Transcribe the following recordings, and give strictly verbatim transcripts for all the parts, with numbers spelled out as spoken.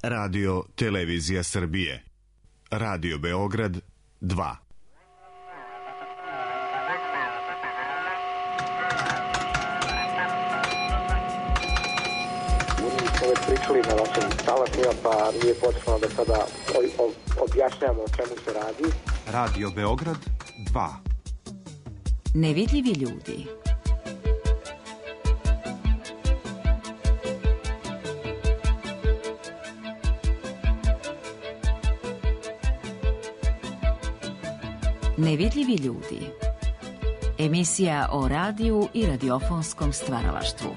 Radio Televizija Srbije. Radio Beograd dva. Pričali na vašim talasima, pa nije potrebno da sada objašnjamo o čemu se radi. Radio Beograd dva. Nevidljivi ljudi. Nevidljivi ljudi. Emisija o radiju i radiofonskom stvaralaštvu.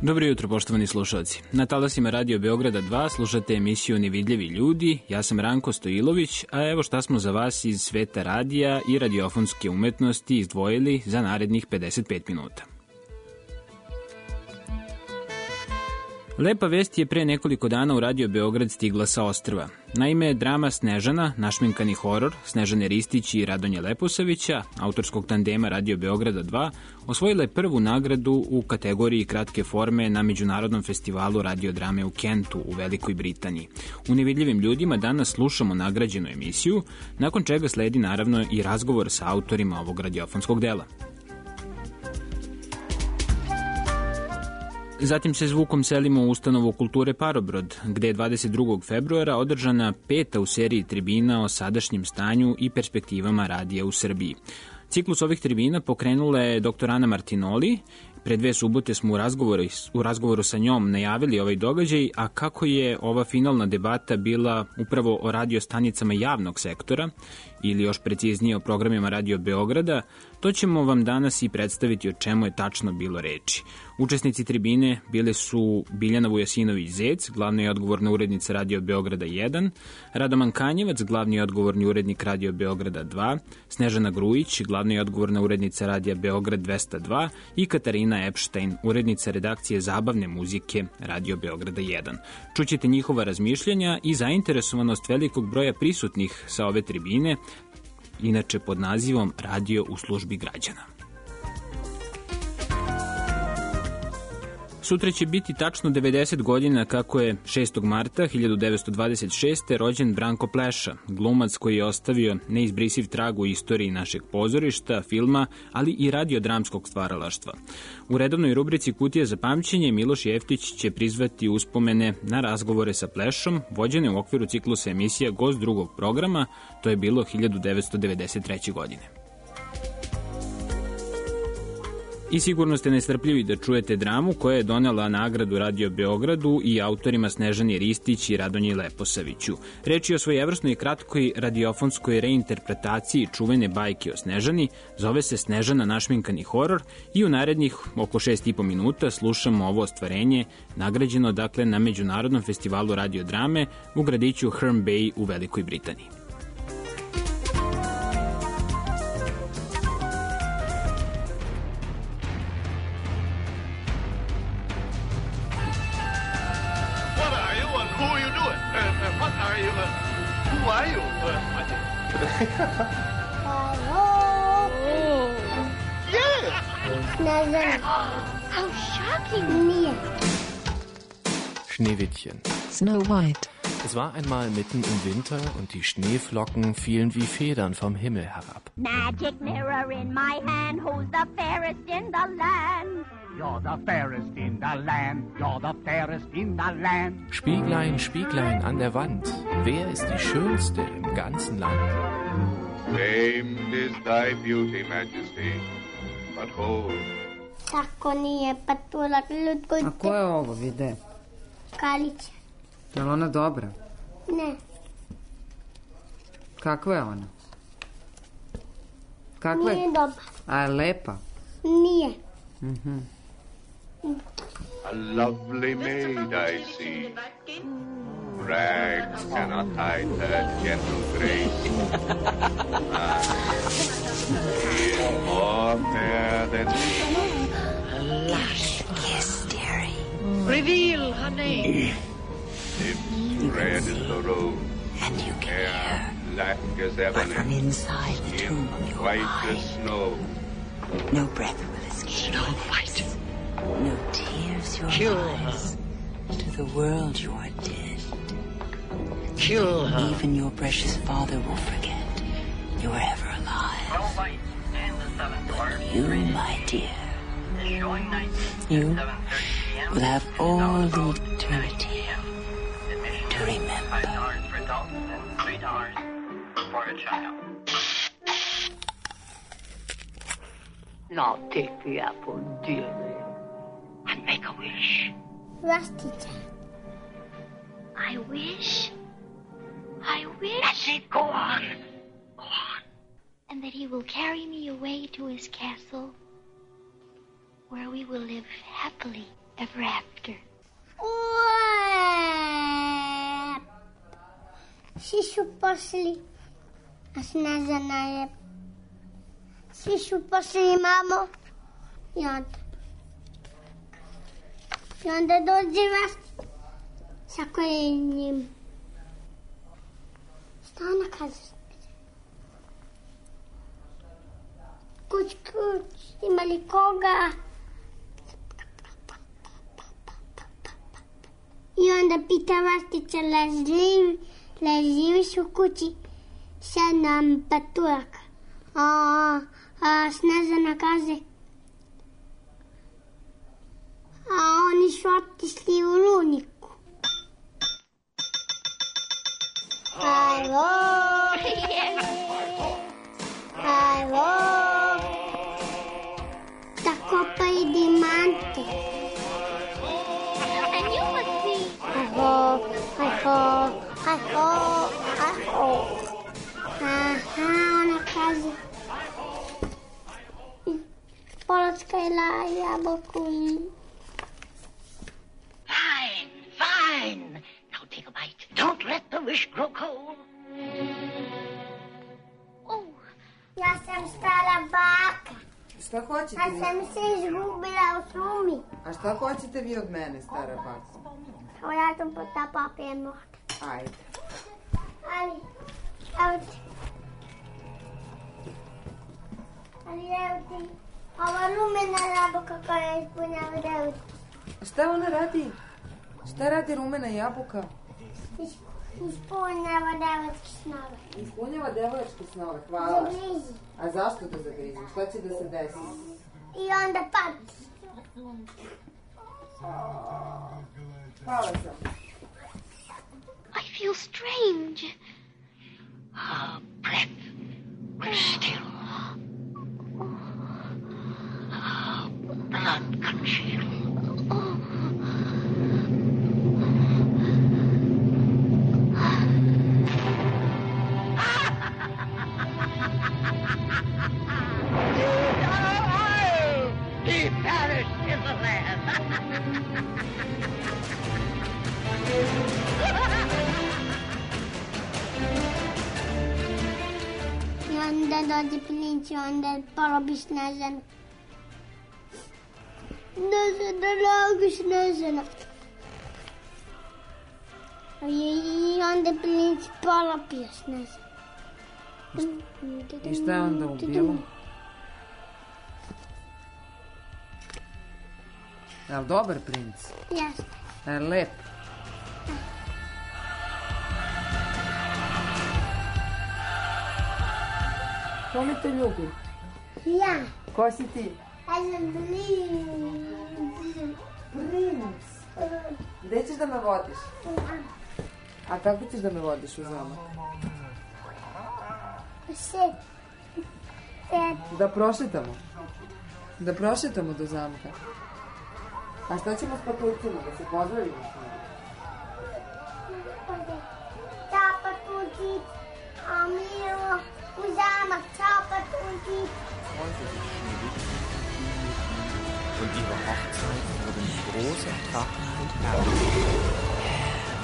Dobro jutro, poštovani slušalci. Na talasima Radio Beograda dva slušate emisiju Nevidljivi ljudi. Ja sam Ranko Stojilović, a evo šta smo za vas iz sveta radija i radiofonske umetnosti izdvojili za narednih pedeset pet minuta. Lepa vest je pre nekoliko dana u Radio Beograd stigla sa ostrva. Naime, drama Snežana, našminkani horor Snežane Ristić i Radonje Leposavića, autorskog tandema Radio Beograda dva, osvojila je prvu nagradu u kategoriji kratke forme na Međunarodnom festivalu radiodrame u Kentu u Velikoj Britaniji. U Nevidljivim ljudima danas slušamo nagrađenu emisiju, nakon čega sledi naravno i razgovor sa autorima ovog radiofonskog dela. Zatim se zvukom selimo u ustanovu kulture Parobrod, gde je dvadeset drugog februara održana peta u seriji tribina o sadašnjem stanju i perspektivama radija u Srbiji. Ciklus ovih tribina pokrenula je doktor Ana Martinoli. Pre dve subote smo u razgovoru, u razgovoru sa njom najavili ovaj događaj, a kako je ova finalna debata bila upravo o radiostanicama javnog sektora, ili još preciznije o programima Radio Beograda, to ćemo vam danas i predstaviti o čemu je tačno bilo reči. Učesnici tribine bile su Biljana Vujasinović-Zec, glavna i odgovorna urednica Radio Beograda jedan, Radoman Kanjevac, glavni i odgovorni urednik Radio Beograda dva, Snežana Grujić, glavna i odgovorna urednica Radija Beograd dvesta dva i Katarina Epštajn, urednica redakcije zabavne muzike Radio Beograda jedan. Čućete njihova razmišljanja i zainteresovanost velikog broja prisutnih sa ove tribine, inače pod nazivom Radio u službi građana. Sutra će biti tačno devedeset godina kako je šestog marta hiljadu devetsto dvadeset šeste. rođen Branko Pleša, glumac koji je ostavio neizbrisiv trag u istoriji našeg pozorišta, filma, ali i radiodramskog stvaralaštva. U redovnoj rubrici Kutija za pamćenje Miloš Jeftić će prizvati uspomene na razgovore sa Plešom, vođene u okviru ciklusa emisija Gost drugog programa, to je bilo hiljadu devetsto devedeset treće. godine. I sigurno ste nestrpljivi da čujete dramu koja je donela nagradu Radio Beogradu i autorima Snežani Ristić i Radonji Leposaviću. Reč je o svojevrsnoj kratkoj radiofonskoj reinterpretaciji čuvene bajke o Snežani, zove se Snežana našminkani horor i u narednih oko šest i po minuta slušamo ovo ostvarenje, nagrađeno dakle na Međunarodnom festivalu radiodrame u gradiću Herne Bay u Velikoj Britaniji. Schneewittchen. Snow White. Es war einmal mitten im Winter und die Schneeflocken fielen wie Federn vom Himmel herab. Magic mirror in my hand, who's the fairest in the land? You're the fairest in the land, you're the fairest in the land. Spieglein, Spieglein an der Wand, wer ist die Schönste im ganzen Land? Famed is thy beauty, Majesty, but hold. Tako nije, pa tu lutko... A ko je ovo, vide? Kalića. Je li ona dobra? Ne. Kakva je ona? Kakva je? Nije dobra. A je lepa? Nije. Mhm. A lovely maid I see. Rags cannot hide her gentle grace. Ah, she is more fair than me. A lush kiss, dearie. Reveal her name. Lips red as the rose. And you can hear. Black as ebony. But from inside the tomb of your white mind. as snow. No breath will escape. Snow White. No tears close your Kill eyes, to the world you are dead. Kill her. Even your precious father will forget you were ever alive. But you, my dear, you will have all eternity to remember. Now take the apple, dearie, and make a wish. Rustica. I wish. I wish. That's it. Go on. Go on. And that he will carry me away to his castle, where we will live happily ever after. Šišu pošli, a Snežana je Šišu pošli, mamo. I onda I onda dođe vas sa kolenjem. Šta ona kaže? Kuć, kuć, ima li koga? I onda pita Vastica, leži, leživiš u kući? Sad nam paturak. A, a Snežana kaže, a oni su otišli u luniku. Hajlo, hajlo, da kopaju dimante. And you must be. Hajho, hajho, hajho, hajho. Aha, ona kaže, Polacka je la jabolku. Fine, fine. Now take a bite. Don't let the wish grow cold. Oh. Ja sam stara baka. Šta hoćete Ja vi? sam se izgubila u šumi. A šta hoćete vi od mene, stara baka? Evo ja sam potapala pijem. Ajde. Ali, evo ti. Ali evo ti. Ova rumena jabuka koja ispunjava devet. Šta ona radi? Šta radi rumena jabuka? Ispunjava devetke snove. Ispunjava devojačke snove, hvala. Zagrizi. A zašto da zagrizi? Šta će da se desi? I onda pati. Hvala sam. I feel strange. Her breath will still. Her blood congeal. He perished in the land. I onda dođe princ i onda porobi Snežanu. Snežana, draga Snežana. I onda princ polopio Snežanu. I šta je onda ubilo? Je li dobar princ? Jeste. Je li lep? Ko mi te ljubi? Ja. Ko si ti? Ja sam princ. Princ? Gde ćeš da me vodiš? A kako ćeš da me vodiš u zamak? Sve. Da prošetamo. Da prošetamo do zamka. A šta ćemo s patuljcima? Da se pozdravimo? Ćao patuljci. A Milo u zamak. Ćao patuljci. Und ihre Hochzeit wurden groß und Trachten und herrlich.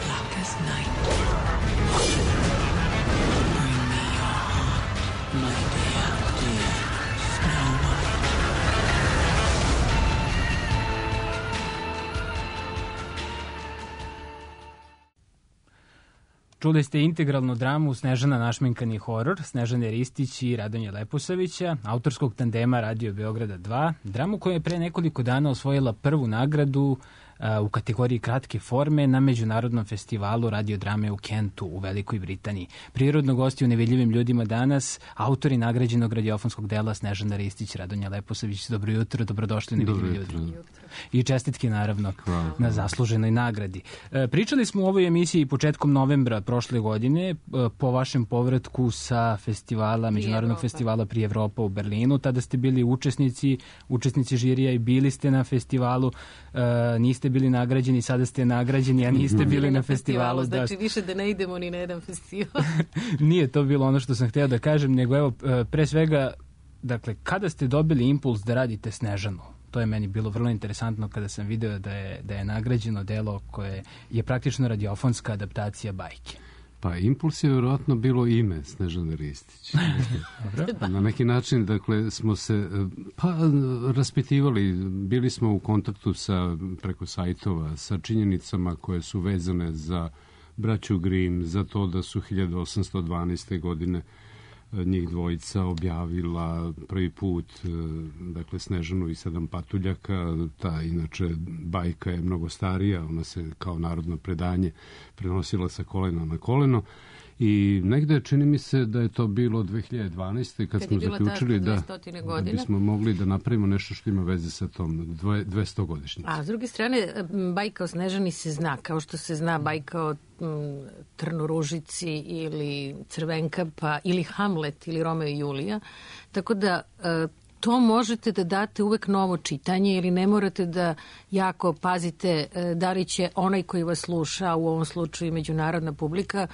Black as night. Bring me your heart, my dear, dear Snow White. Čuli ste integralnu dramu Snežana našminkani horor Snežane Ristić i Radonje Leposavića, autorskog tandema Radio Beograda dva, dramu koja je pre nekoliko dana osvojila prvu nagradu u kategoriji kratke forme na Međunarodnom festivalu radiodrame u Kentu u Velikoj Britaniji. Prirodno gosti u Nevidljivim ljudima danas, autori nagrađenog radiofonskog dela Snežana Ristić, Radonja Leposavić. Dobro jutro, dobrodošli u Nevidljivi ljudi. I čestitke naravno Hvala. na zasluženoj nagradi. Pričali smo u ovoj emisiji početkom novembra prošle godine po vašem povratku sa festivala, Međunarodnog festivala Pri Evropa u Berlinu. Tada ste bili učesnici, učesnici žirija i bili ste na festivalu. Niste bili nagrađeni, sada ste nagrađeni, a niste bili na festivalu. Znači više da ne idemo ni na jedan festival. Nije to bilo ono što sam hteo da kažem, nego evo, pre svega, dakle, kada ste dobili impuls da radite Snežanu? To je meni bilo vrlo interesantno kada sam video da je, da je nagrađeno delo koje je praktično radiofonska adaptacija bajke. Pa impuls je vjerojatno bilo ime Snežane Ristić. Na neki način, dakle, smo se pa raspitivali, bili smo u kontaktu sa, preko sajtova sa činjenicama koje su vezane za braću Grimm, za to da su hiljadu osamsto dvanaeste. godine njih dvojica objavila prvi put, dakle, Snežanu i sedam patuljaka. Ta, inače, bajka je mnogo starija, ona se kao narodno predanje prenosila sa kolena na koleno. I negde čini mi se da je to bilo dve hiljade dvanaeste. kad, kad smo zaključili da, da bismo mogli da napravimo nešto što ima veze sa tom dvestogodišnjicom. A s druge strane, bajka o Snežani se zna, kao što se zna bajka o Trnoružici ili Crvenkapa ili Hamlet ili Romeo i Julija. Tako da to možete da date uvek novo čitanje ili ne morate da jako pazite da li će onaj koji vas sluša, u ovom slučaju međunarodna publika,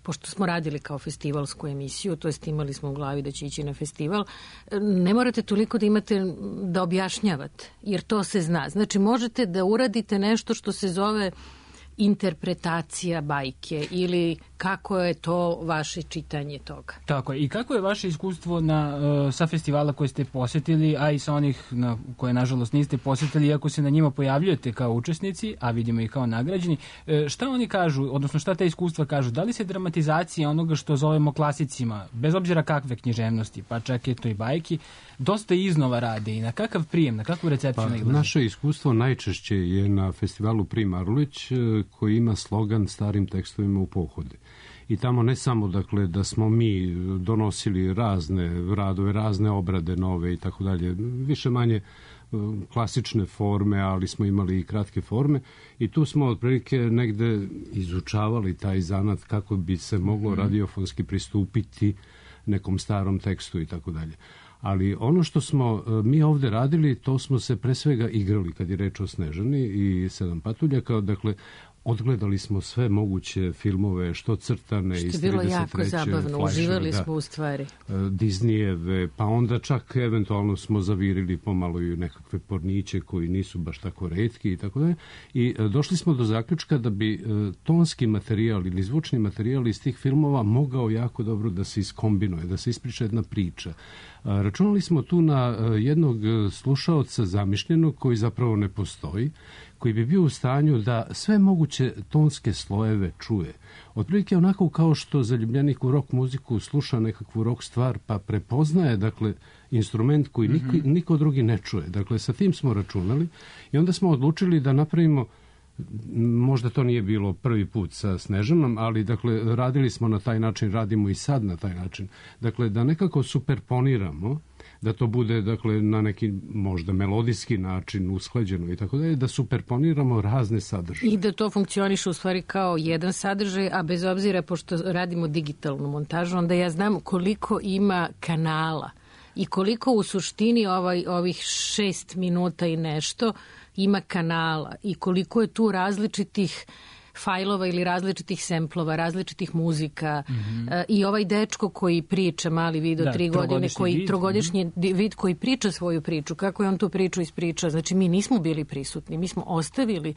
pošto smo radili kao festivalsku emisiju, to jest imali smo u glavi da će ići na festival, ne morate toliko da imate da objašnjavate, jer to se zna. Znači, možete da uradite nešto što se zove interpretacija bajke ili kako je to vaše čitanje toga. Tako je. I kako je vaše iskustvo na, uh, sa festivala koje ste posetili, a i sa onih na koje nažalost niste posetili, iako se na njima pojavljujete kao učesnici, a vidimo i kao nagrađeni. E, šta oni kažu, odnosno šta te iskustva kažu? Da li se dramatizacija onoga što zovemo klasicima, bez obzira kakve književnosti, pa čak je to i bajki, dosta iznova rade i na kakav prijem, na kakvu recepciju pa, nailazi? Naše iskustvo najčešće je na festivalu Pri Marulić, koji ima slogan starim tekstovima u pohode. I tamo ne samo, dakle, da smo mi donosili razne radove, razne obrade nove i tako dalje, više manje klasične forme, ali smo imali i kratke forme i tu smo otprilike negde izučavali taj zanat kako bi se moglo radiofonski pristupiti nekom starom tekstu i tako dalje. Ali ono što smo mi ovde radili, to smo se pre svega igrali kad je reč o Snežani i sedam patuljaka, dakle, odgledali smo sve moguće filmove, što crtane iz trideset treće. Što je bilo jako zabavno, uživali smo u stvari. Disneyjeve, pa onda čak eventualno smo zavirili pomalo i nekakve porniće koji nisu baš tako retki i tako dalje. I došli smo do zaključka da bi tonski materijal ili zvučni materijal iz tih filmova mogao jako dobro da se iskombinuje, da se ispriča jedna priča. Računali smo tu na jednog slušaoca zamišljenog koji zapravo ne postoji, koji bi bio u stanju da sve moguće tonske slojeve čuje. Otprilike onako kao što zaljubljenik u rock muziku sluša nekakvu rock stvar pa prepoznaje, dakle, instrument koji niko, mm-hmm. niko drugi ne čuje. Dakle, sa tim smo računali i onda smo odlučili da napravimo, možda to nije bilo prvi put sa Snežanom, ali, dakle, radili smo na taj način, radimo i sad na taj način. Dakle, da nekako superponiramo, da to bude, dakle, na neki možda melodijski način usklađeno i tako dalje, da superponiramo razne sadržaje. I da to funkcioniše u stvari kao jedan sadržaj, a bez obzira, pošto radimo digitalnu montažu, onda ja znam koliko ima kanala i koliko u suštini ovaj, ovih šest minuta i nešto ima kanala i koliko je tu različitih fajlova ili različitih semplova, različitih muzika mm-hmm. uh, i ovaj dečko koji priča, mali vid od da, tri godine, koji vid. trogodišnji mm-hmm. vid koji priča svoju priču, kako je on tu priču ispričao. Znači, mi nismo bili prisutni, mi smo ostavili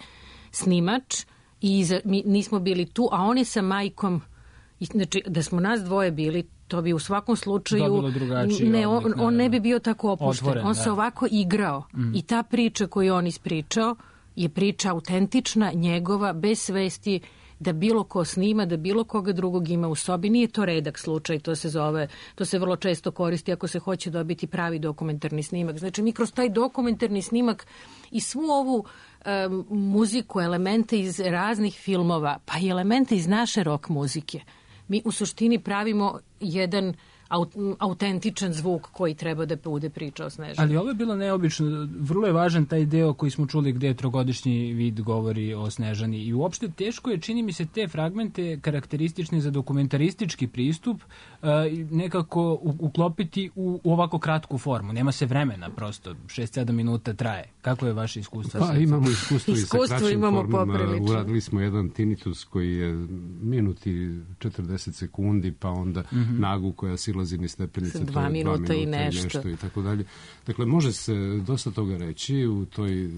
snimač i iza, mi nismo bili tu, a on je sa majkom, znači, da smo nas dvoje bili, to bi u svakom slučaju ne, on, on ne bi bio tako opušten. Otvoren, on da. se ovako igrao mm. i ta priča koju on ispričao je priča autentična, njegova, bez svesti da bilo ko snima, da bilo koga drugog ima u sobi. Nije to redak slučaj, to se zove, to se vrlo često koristi ako se hoće dobiti pravi dokumentarni snimak. Znači mi kroz taj dokumentarni snimak i svu ovu um, muziku, elemente iz raznih filmova, pa i elemente iz naše rock muzike, mi u suštini pravimo jedan autentičan zvuk koji treba da bude priča o Snežani. Ali ovo je bilo neobično. Vrlo je važan taj deo koji smo čuli gde trogodišnji vid govori o Snežani. I uopšte teško je, čini mi se, te fragmente karakteristične za dokumentaristički pristup uh, nekako uklopiti u, u ovako kratku formu. Nema se vremena, prosto. šest sedam minuta traje. Kako je vaše iskustvo? Pa imamo iskustvo i sa kraćim formom. Poprilično. Uradili smo jedan tinnitus koji je minuti četrdeset sekundi, pa onda mm-hmm. nagu koja silazi ni stepenice, dva, dva minuta i nešto. nešto i tako dalje. Dakle, može se dosta toga reći u toj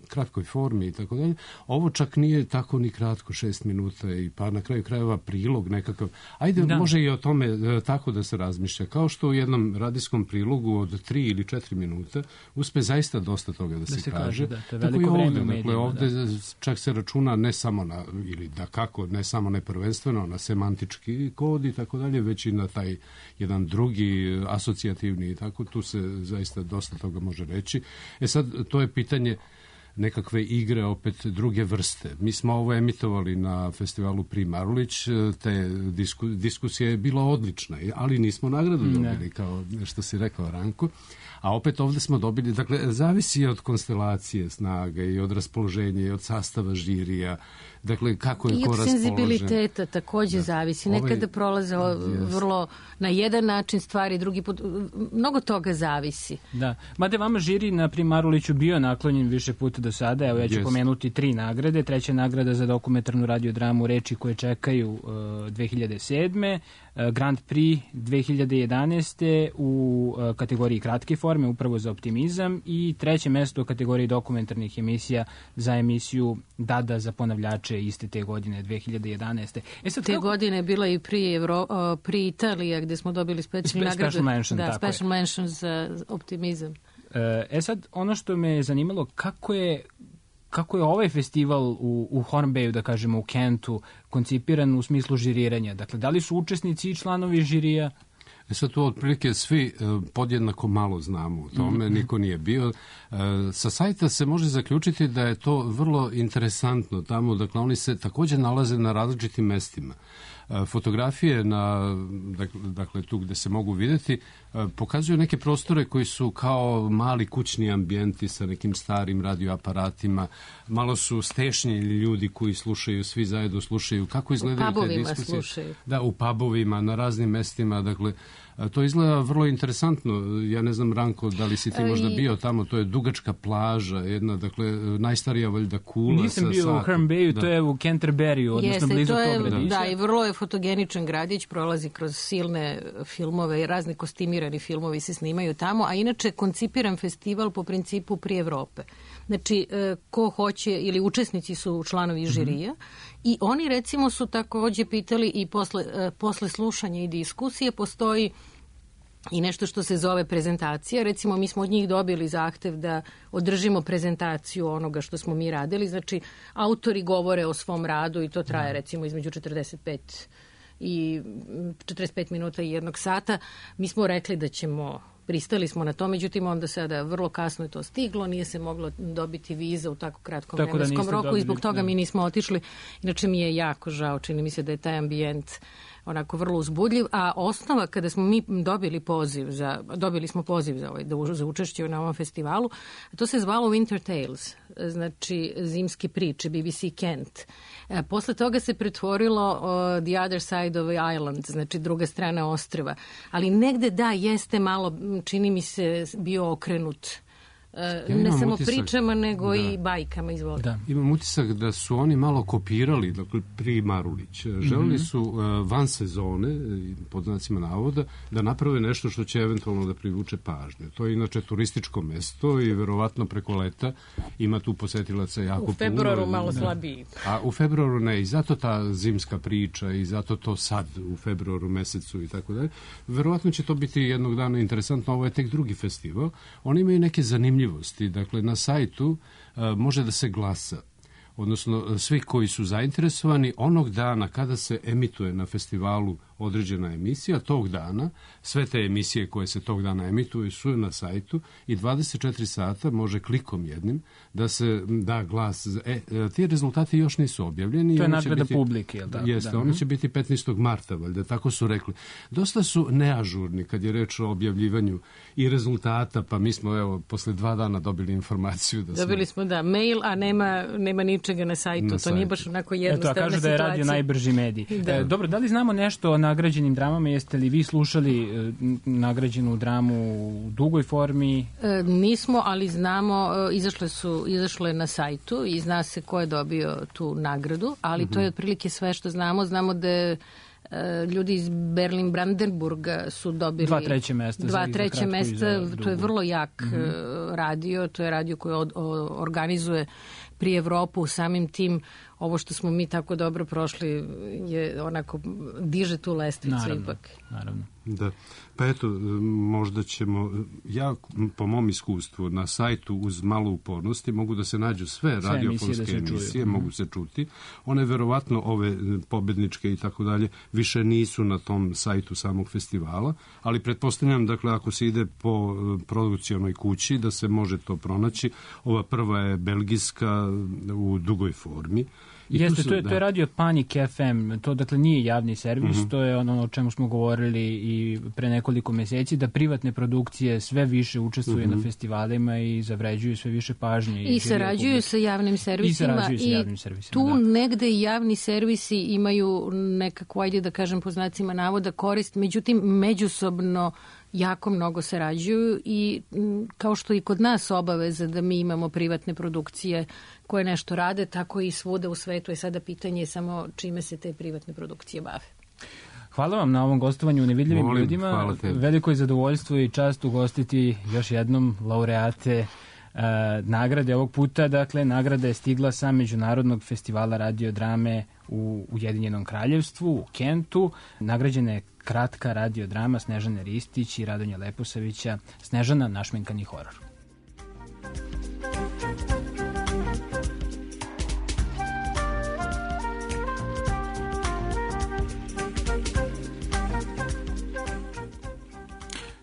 kratkoj formi i tako dalje. Ovo čak nije tako ni kratko, šest minuta i pa na kraju krajeva prilog nekakav. Ajde, da. Može i o tome tako da se razmišlja. Kao što u jednom radijskom prilogu od tri ili četiri minuta uspe zaista dosta toga da, da se, se kaže. Da, to je veliko vreme ovde, u medijima. Dakle, ovde da. čak se računa ne samo na, ili da kako, ne samo ne prvenstveno na semantički kod i tako dalje, već i na taj jedan drugi asocijativni i tako, tu se zaista dosta toga može reći. E sad, to je pitanje nekakve igre opet druge vrste. Mi smo ovo emitovali na festivalu Pri Marulić, te disku, diskusija je bila odlična, ali nismo nagradu dobili, ne. Kao što si rekao, Ranko. A opet ovde smo dobili, dakle, zavisi od konstelacije snaga i od raspoloženja i od sastava žirija, dakle, kako je I ko raspoložen. I od senzibiliteta takođe da. zavisi. Nekada ovaj, prolaze yes. vrlo na jedan način stvari, drugi put, mnogo toga zavisi. Da, mada vama žiri na Primaruliću bio naklonjen više puta do sada, evo ja ću yes. pomenuti tri nagrade. Treća nagrada za dokumentarnu radiodramu Reči koje čekaju uh, dve hiljade sedme, uh, Grand Prix dve hiljade jedanaeste u uh, kategoriji kratke forme, upravo za optimizam, i treće mesto u kategoriji dokumentarnih emisija za emisiju Dada za ponavljače iste te godine, dve hiljade jedanaeste. E sad, te kako... godine je bila i pri, Evro, uh, pri Italija, gde smo dobili specijalnu nagradu. Special mention, da, tako special je. mention za optimizam. E sad, ono što me je zanimalo, kako je kako je ovaj festival u, u Hornbayu, da kažemo u Kentu, koncipiran u smislu žiriranja? Dakle, da li su učesnici i članovi žirija? E sad tu otprilike svi uh, podjednako malo znamo u tome, mm-hmm. niko nije bio. Uh, sa sajta se može zaključiti da je to vrlo interesantno tamo, dakle oni se takođe nalaze na različitim mestima. Uh, fotografije na, dakle, dakle tu gde se mogu videti, uh, pokazuju neke prostore koji su kao mali kućni ambijenti sa nekim starim radioaparatima, malo su stešnjeni ljudi koji slušaju, svi zajedno slušaju, kako izgledaju te diskusije. Slušaju. Da, u pubovima, na raznim mestima, dakle, to izgleda vrlo interesantno. Ja ne znam, Ranko, da li si ti možda bio tamo, to je dugačka plaža, jedna, dakle, najstarija valjda kula. Nisam sa bio satom. u Hornbayu, da. To je u Canterbury, odnosno Jeste, blizu to je, tog gradića. Da, i vrlo je fotogeničan gradić, prolazi kroz silne filmove i razni kostimirani filmovi se snimaju tamo, a inače koncipiran festival po principu Pri Evrope. Znači, ko hoće, ili učesnici su članovi žirija, mm-hmm. i oni recimo su takođe pitali i posle, posle slušanja i diskusije postoji i nešto što se zove prezentacija. Recimo, mi smo od njih dobili zahtev da održimo prezentaciju onoga što smo mi radili. Znači, autori govore o svom radu i to traje recimo između četrdeset pet i četrdeset pet minuta i jednog sata. Mi smo rekli da ćemo, pristali smo na to, međutim onda sada vrlo kasno je to stiglo, nije se moglo dobiti viza u tako kratkom tako vremenskom roku dobili, i zbog toga da. mi nismo otišli. Inače mi je jako žao, čini mi se da je taj ambijent onako vrlo uzbudljiv, a osnova kada smo mi dobili poziv za, dobili smo poziv za, ovaj, za učešće na ovom festivalu, to se zvalo Winter Tales, znači zimske priče, B B C Kent. E, posle toga se pretvorilo uh, The Other Side of the Island, znači druga strana ostrva, ali negde da, jeste malo, čini mi se, bio okrenut Ja ne samo utisak, pričama, nego da. i bajkama, izvolite. Da. Imam utisak da su oni malo kopirali, dakle, Pri Marulić. Želeli mm-hmm. su uh, van sezone, pod znacima navoda, da naprave nešto što će eventualno da privuče pažnju. To je inače turističko mesto i verovatno preko leta ima tu posetilaca jako puno. U februaru puno, malo da. slabiji. A u februaru ne, i zato ta zimska priča i zato to sad u februaru mesecu i tako dalje. Verovatno će to biti jednog dana interesantno, ovo je tek drugi festival. Oni imaju neke zanimljive. Dakle, na sajtu uh, može da se glasa odnosno svi koji su zainteresovani, onog dana kada se emituje na festivalu određena emisija, tog dana, sve te emisije koje se tog dana emituju su na sajtu i dvadeset četiri sata može klikom jednim da se da glas. E, ti rezultati još nisu objavljeni. To je nadgleda biti, publike, jel da? Jeste, da. oni će biti petnaestog marta, valjda, tako su rekli. Dosta su neažurni kad je reč o objavljivanju i rezultata, pa mi smo, evo, posle dva dana dobili informaciju da smo... Dobili smo, da, mail, a nema, nema ničega na sajtu. Na to sajtu. Nije baš onako jednostavna situacija. Eto, a kažu da je radio najbrži medij. Da. E, dobro, da li znamo nešto o nagrađenim dramama? Jeste li vi slušali e, nagrađenu dramu u dugoj formi? E, nismo, ali znamo, e, izašle su, izašle na sajtu i zna se ko je dobio tu nagradu, ali mm-hmm. to je otprilike sve što znamo. Znamo da je ljudi iz Berlin-Brandenburga su dobili dva treće mesta. Dva treće mesta, to je vrlo jak mm-hmm. radio, to je radio koji od, o, organizuje pri Evropu, samim tim ovo što smo mi tako dobro prošli je onako, diže tu lestvicu naravno, ipak. Naravno. Da. Pa eto, možda ćemo, ja po mom iskustvu na sajtu uz malo upornosti mogu da se nađu sve, sve radiofonske emisije, da emisije mogu se čuti. One verovatno, ove pobedničke i tako dalje, više nisu na tom sajtu samog festivala, ali pretpostavljam, dakle, ako se ide po produkcionoj kući, da se može to pronaći. Ova prva je belgijska u dugoj formi. I Jeste, su, to, je, da. to je radio Panic F M, to dakle nije javni servis, mm-hmm. to je ono o čemu smo govorili i pre nekoliko meseci, da privatne produkcije sve više učestvuju mm-hmm. na festivalima i zavređuju sve više pažnje. I, I sarađuju sa javnim servisima. I, sa javnim servisima, tu da. negde javni servisi imaju nekako, ajde da kažem po znacima navoda, korist, međutim međusobno jako mnogo sarađuju i kao što i kod nas obaveza da mi imamo privatne produkcije koje nešto rade, tako i svuda u svetu je sada pitanje samo čime se te privatne produkcije bave. Hvala vam na ovom gostovanju u Nevidljivim Molim, ljudima. Veliko je zadovoljstvo i čast ugostiti još jednom laureate uh, nagrade ovog puta. Dakle, nagrada je stigla sa Međunarodnog festivala radiodrame u Ujedinjenom kraljevstvu, u Kentu. Nagrađena je kratka radiodrama Snežane Ristić i Radonja Leposavića, Snežana, našminkani horor.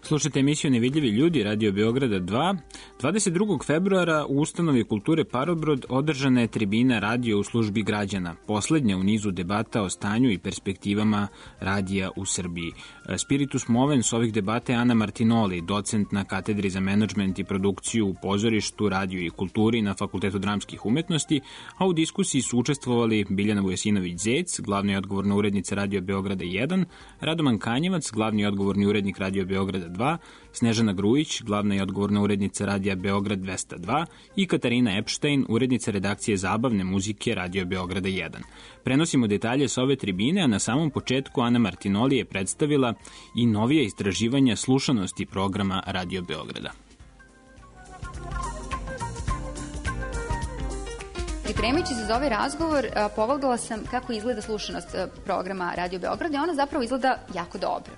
Slušajte emisiju Nevidljivi ljudi, Radio Beograda dva. dvadeset drugog februara u ustanovi kulture Parobrod održana je tribina radio u službi građana, poslednja u nizu debata o stanju i perspektivama radija u Srbiji. Spiritus movens ovih debata je Ana Martinoli, docent na katedri za menadžment i produkciju u pozorištu, radiju i kulturi na Fakultetu dramskih umetnosti, a u diskusiji su učestvovali Biljana Vujasinović-Zec, glavna i odgovorna urednica Radio Beograda jedan, Radoman Kanjevac, glavni i odgovorni urednik Radio Beograda dva, Snežana Grujić, glavna i odgovorna urednica Radija Beograd dvesta dva i Katarina Epštajn, urednica redakcije zabavne muzike Radio Beograda jedan. Prenosimo detalje sa ove tribine, a na samom početku Ana Martinoli je predstavila i novije istraživanja slušanosti programa Radio Beograda. Pripremajući se za ovaj razgovor, pogledala sam kako izgleda slušanost programa Radio Beograda i ona zapravo izgleda jako dobro.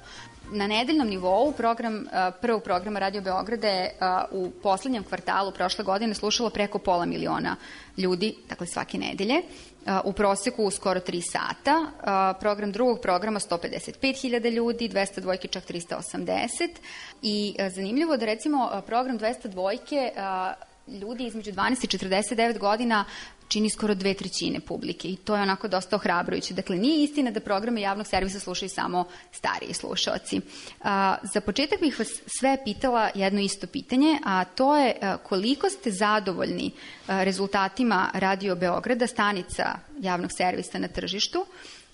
Na nedeljnom nivou program, prvog programa Radio Beograda je u poslednjem kvartalu prošle godine slušalo preko pola miliona ljudi, dakle svake nedelje, u proseku skoro tri sata. Program drugog programa sto pedeset pet hiljada ljudi, dvesta dvojke čak trista osamdeset i zanimljivo da recimo program dvesta dvojke ljudi između dvanaest i četrdeset devet godina čini skoro dve trećine publike i to je onako dosta ohrabrujuće. Dakle, nije istina da programe javnog servisa slušaju samo stariji slušaoci. A, za početak bih vas sve pitala jedno isto pitanje, a to je a, koliko ste zadovoljni a, rezultatima Radio Beograda, stanica javnog servisa na tržištu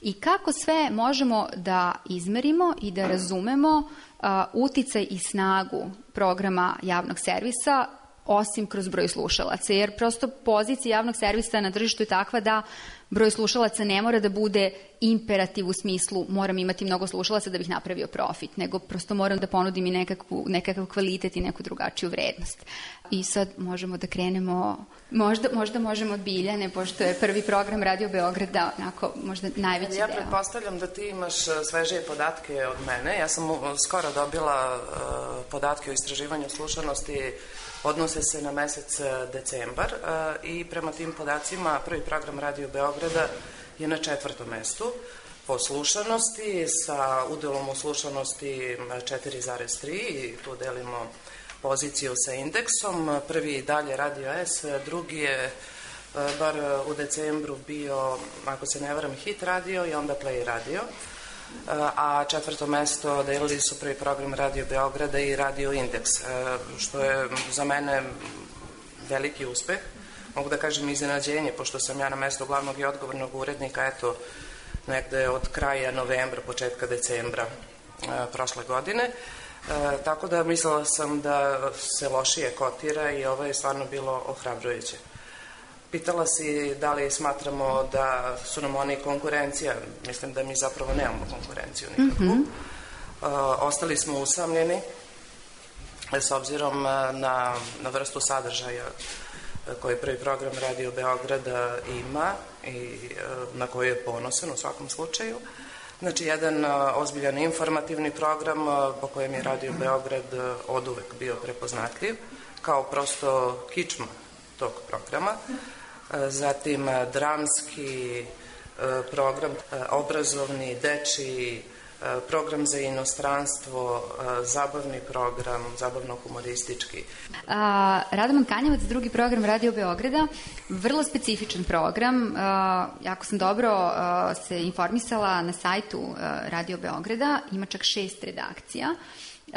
i kako sve možemo da izmerimo i da razumemo a, uticaj i snagu programa javnog servisa osim kroz broj slušalaca, jer prosto pozicija javnog servisa na tržištu je takva da broj slušalaca ne mora da bude imperativ u smislu moram imati mnogo slušalaca da bih napravio profit, nego prosto moram da ponudim i nekakvu, nekakav kvalitet i neku drugačiju vrednost. I sad možemo da krenemo, možda, možda možemo od Biljane, pošto je prvi program Radio Beograda onako možda najveći ja deo. Ja pretpostavljam da ti imaš svežije podatke od mene. Ja sam skoro dobila uh, podatke o istraživanju slušanosti Odnose se na mesec decembar i prema tim podacima prvi program Radio Beograda je na četvrtom mestu po slušanosti sa udelom u slušanosti četiri zarez tri i tu delimo poziciju sa indeksom. Prvi dalje Radio S, drugi je bar u decembru bio, ako se ne varam, Hit radio i onda Play radio, a četvrto mesto delili su prvi program Radio Beograda i Radio Indeks, što je za mene veliki uspeh, mogu da kažem iznenađenje, pošto sam ja na mesto glavnog i odgovornog urednika, eto, negde od kraja novembra, početka decembra prošle godine, tako da mislila sam da se lošije kotira i ovo je stvarno bilo ohrabrujuće. Pitala si da li smatramo da su nam oni konkurencija. Mislim da mi zapravo nemamo konkurenciju nikakvu. Mm-hmm. Ostali smo usamljeni s obzirom na, na vrstu sadržaja koji prvi program Radio Beograda ima i na koji je ponosan u svakom slučaju. Znači, jedan ozbiljan informativni program po kojem je Radio Beograd oduvek bio prepoznatljiv, kao prosto kičma tog programa. Zatim dramski program, obrazovni, dečiji, program za inostranstvo, zabavni program, zabavno-humoristički. A, Radoman Kanjevac, drugi program Radio Beograda, vrlo specifičan program. A, jako sam dobro a, se informisala na sajtu a, Radio Beograda, ima čak šest redakcija. Uh,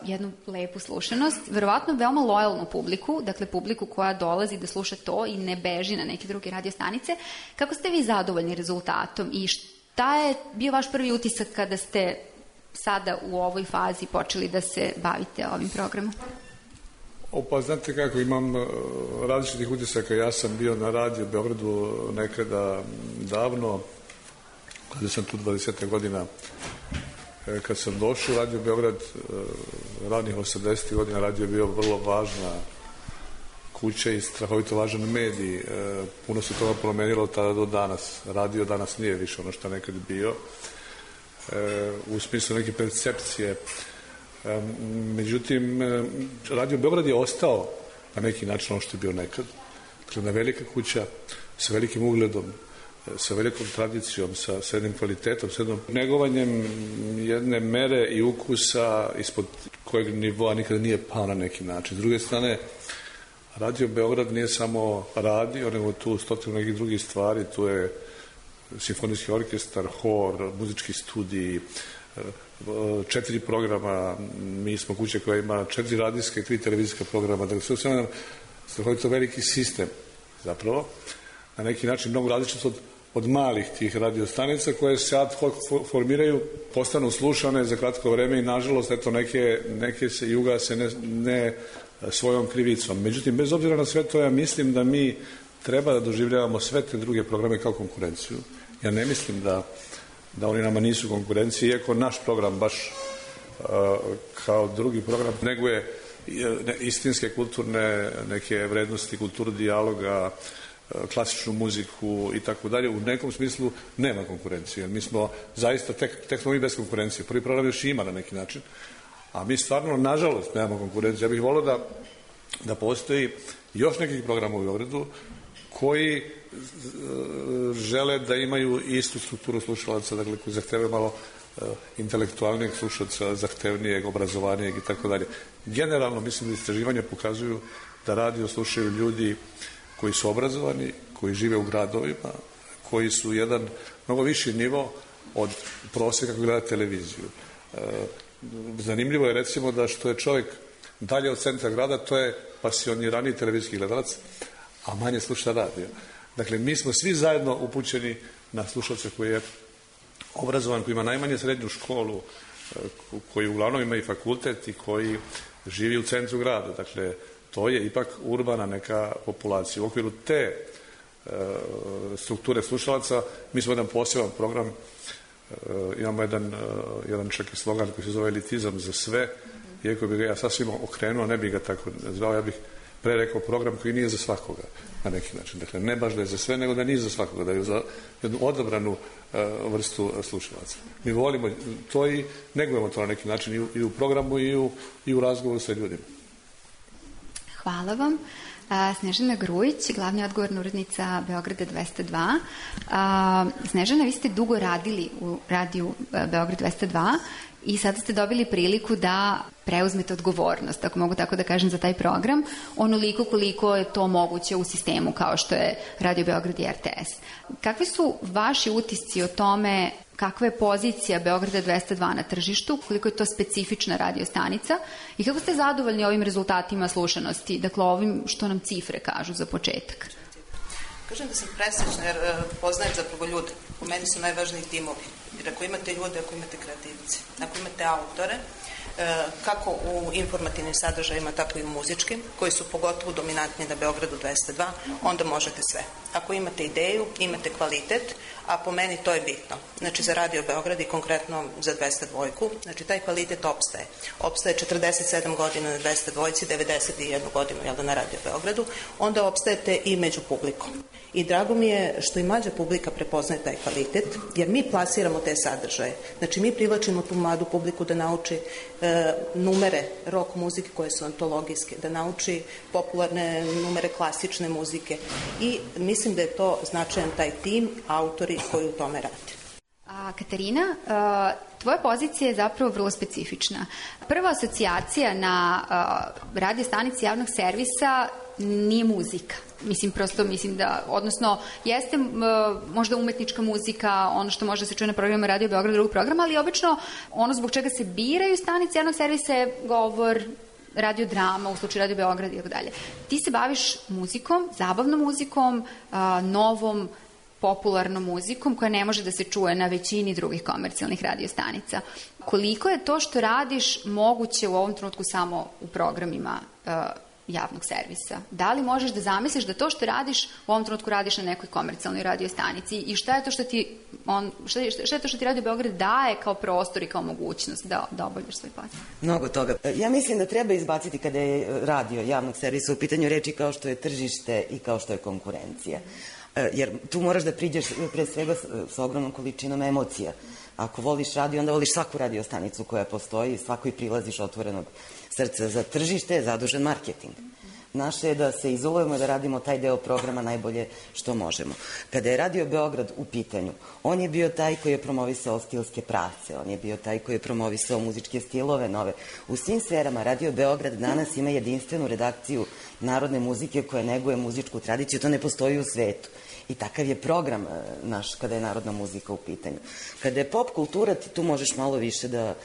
jednu lepu slušanost, verovatno veoma lojalnu publiku, dakle publiku koja dolazi da sluša to i ne beži na neke druge radio stanice. Kako ste vi zadovoljni rezultatom i šta je bio vaš prvi utisak kada ste sada u ovoj fazi počeli da se bavite ovim programom? O, pa znate kako, imam različitih utisaka. Ja sam bio na Radio Beogradu nekada davno, kada sam tu dvadeset godina. Kad sam došao u Radio Beograd, ranih osamdesetih godina, radio je bio vrlo važna kuća i strahovito važan medij. Puno se toga promenilo od tada do danas. Radio danas nije više ono što nekad bio, u smislu neke percepcije. Međutim, Radio Beograd je ostao na neki način ono što je bio nekad. Dakle, na velika kuća, sa velikim ugledom, sa velikom tradicijom, sa, sa jednim kvalitetom, sa jednom negovanjem jedne mere i ukusa ispod kojeg nivoa nikada nije pao na neki način. S druge strane, Radio Beograd nije samo radio, nego tu stotinu nekih drugih stvari, tu je simfonijski orkestar, hor, muzički studij, četiri programa, mi smo kuća koja ima četiri radijske i tri televizijska programa, dakle sve sve nam strahovito veliki sistem zapravo, na neki način mnogo različit od, od malih tih radiostanica koje se ad hoc formiraju, postanu slušane za kratko vreme i nažalost eto neke, neke se i ugase ne, ne svojom krivicom. Međutim, bez obzira na sve to, ja mislim da mi treba da doživljavamo sve te druge programe kao konkurenciju. Ja ne mislim da, da oni nama nisu konkurencije, iako naš program baš uh, kao drugi program neguje istinske kulturne neke vrednosti, kulturu dijaloga, klasičnu muziku i tako dalje, u nekom smislu nema konkurencije. Mi smo zaista, tek, tek smo mi bez konkurencije. Prvi program još ima na neki način, a mi stvarno, nažalost, nemamo konkurencije. Ja bih volio da, da postoji još nekih programa u Beogradu koji e, žele da imaju istu strukturu slušalaca, dakle, koji zahtevaju malo e, intelektualnijeg slušalca, zahtevnijeg, obrazovanijeg i tako dalje. Generalno, mislim da istraživanja pokazuju da radio slušaju ljudi koji su obrazovani, koji žive u gradovima, koji su jedan mnogo viši nivo od prosjeka koji gleda televiziju. E, zanimljivo je recimo da što je čovjek dalje od centra grada, to je pasioniraniji televizijski gledalac, a manje sluša radio. Dakle, mi smo svi zajedno upućeni na slušalca koji je obrazovan, koji ima najmanje srednju školu, koji uglavnom ima i fakultet i koji živi u centru grada. Dakle, to je ipak urbana neka populacija. U okviru te e, strukture slušalaca mi smo jedan poseban program, e, imamo jedan, e, jedan čak i slogan koji se zove elitizam za sve, iako bi ga ja sasvim okrenuo, ne bih ga tako zvao, ja bih pre rekao program koji nije za svakoga na neki način. Dakle, ne baš da je za sve, nego da nije za svakoga, da je za jednu odabranu e, vrstu slušalaca. Mi volimo to i negujemo to na neki način i u, i u programu i u, i u razgovoru sa ljudima. Hvala vam. Snežana Grujić, glavna odgovorna urednica Beograda dvesta dva. Snežana, vi ste dugo radili u radiju Beograd dvesta dva i sada ste dobili priliku da preuzmete odgovornost, ako mogu tako da kažem, za taj program, onoliko koliko je to moguće u sistemu kao što je Radio Beograd i R T S. Kakvi su vaši utisci o tome kakva je pozicija Beograda dvesta dva na tržištu, koliko je to specifična radio stanica i kako ste zadovoljni ovim rezultatima slušanosti, dakle ovim što nam cifre kažu za početak? Kažem da sam presrećna jer poznajem zapravo ljude. U meni su najvažniji timovi. Jer ako imate ljude, ako imate kreativce, ako imate autore, kako u informativnim sadržajima, tako i u muzičkim, koji su pogotovo dominantni na Beogradu dvesta dva, onda možete sve. Ako imate ideju, imate kvalitet, a po meni to je bitno. Znači za Radio Beograd i konkretno za dvesta dva, znači taj kvalitet opstaje. Opstaje četrdeset sedam godina na dvesta dva, devedeset jednu godinu jel da, na Radio Beogradu, onda opstajete i među publikom. I drago mi je što i mlađa publika prepoznaje taj kvalitet, jer mi plasiramo te sadržaje. Znači mi privlačimo tu mladu publiku da nauči e, numere rock muzike koje su antologijske, da nauči popularne numere klasične muzike i mislim da je to značajan taj tim, autori koji u tome rade. A, Katarina, a, tvoja pozicija je zapravo vrlo specifična. Prva asocijacija na a, radio stanici javnog servisa nije muzika. Mislim, prosto mislim da, odnosno, jeste uh, možda umetnička muzika, ono što može da se čuje na programu Radio Beograd, drugog programa, ali obično ono zbog čega se biraju stanice javnog servisa je govor, radiodrama, u slučaju Radio Beograd i tako dalje. Ti se baviš muzikom, zabavnom muzikom, uh, novom, popularnom muzikom koja ne može da se čuje na većini drugih komercijalnih radiostanica. Koliko je to što radiš moguće u ovom trenutku samo u programima uh, javnog servisa? Da li možeš da zamisliš da to što radiš u ovom trenutku radiš na nekoj komercijalnoj radiostanici i šta je to što ti on, šta je, šta je to što ti Radio Beograd daje kao prostor i kao mogućnost da, da obavljaš svoj posao? Mnogo toga. Ja mislim da treba izbaciti kada je radio javnog servisa u pitanju reči kao što je tržište i kao što je konkurencija. Jer tu moraš da priđeš pre svega s ogromnom količinom emocija. Ako voliš radio, onda voliš svaku radiostanicu koja postoji, svakoj prilaziš otvorenog srca. Za tržište je zadužen marketing. Naše je da se izolujemo i da radimo taj deo programa najbolje što možemo. Kada je Radio Beograd u pitanju, on je bio taj koji je promovisao stilske pravce, on je bio taj koji je promovisao muzičke stilove nove. U svim sferama Radio Beograd danas ima jedinstvenu redakciju narodne muzike koja neguje muzičku tradiciju, to ne postoji u svetu. I takav je program naš kada je narodna muzika u pitanju. Kada je pop kultura, ti tu možeš malo više da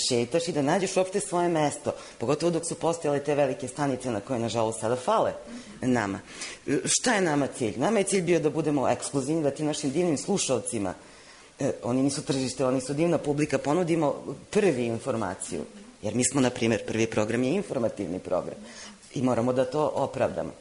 šetaš i da nađeš uopšte svoje mesto, pogotovo dok su postojale te velike stanice na koje, nažalost, sada fale nama. Šta je nama cilj? Nama je cilj bio da budemo ekskluzivni, da ti našim divnim slušalcima, eh, oni nisu tržište, oni su divna publika, ponudimo prvi informaciju. Jer mi smo, na primjer, prvi program je informativni program i moramo da to opravdamo.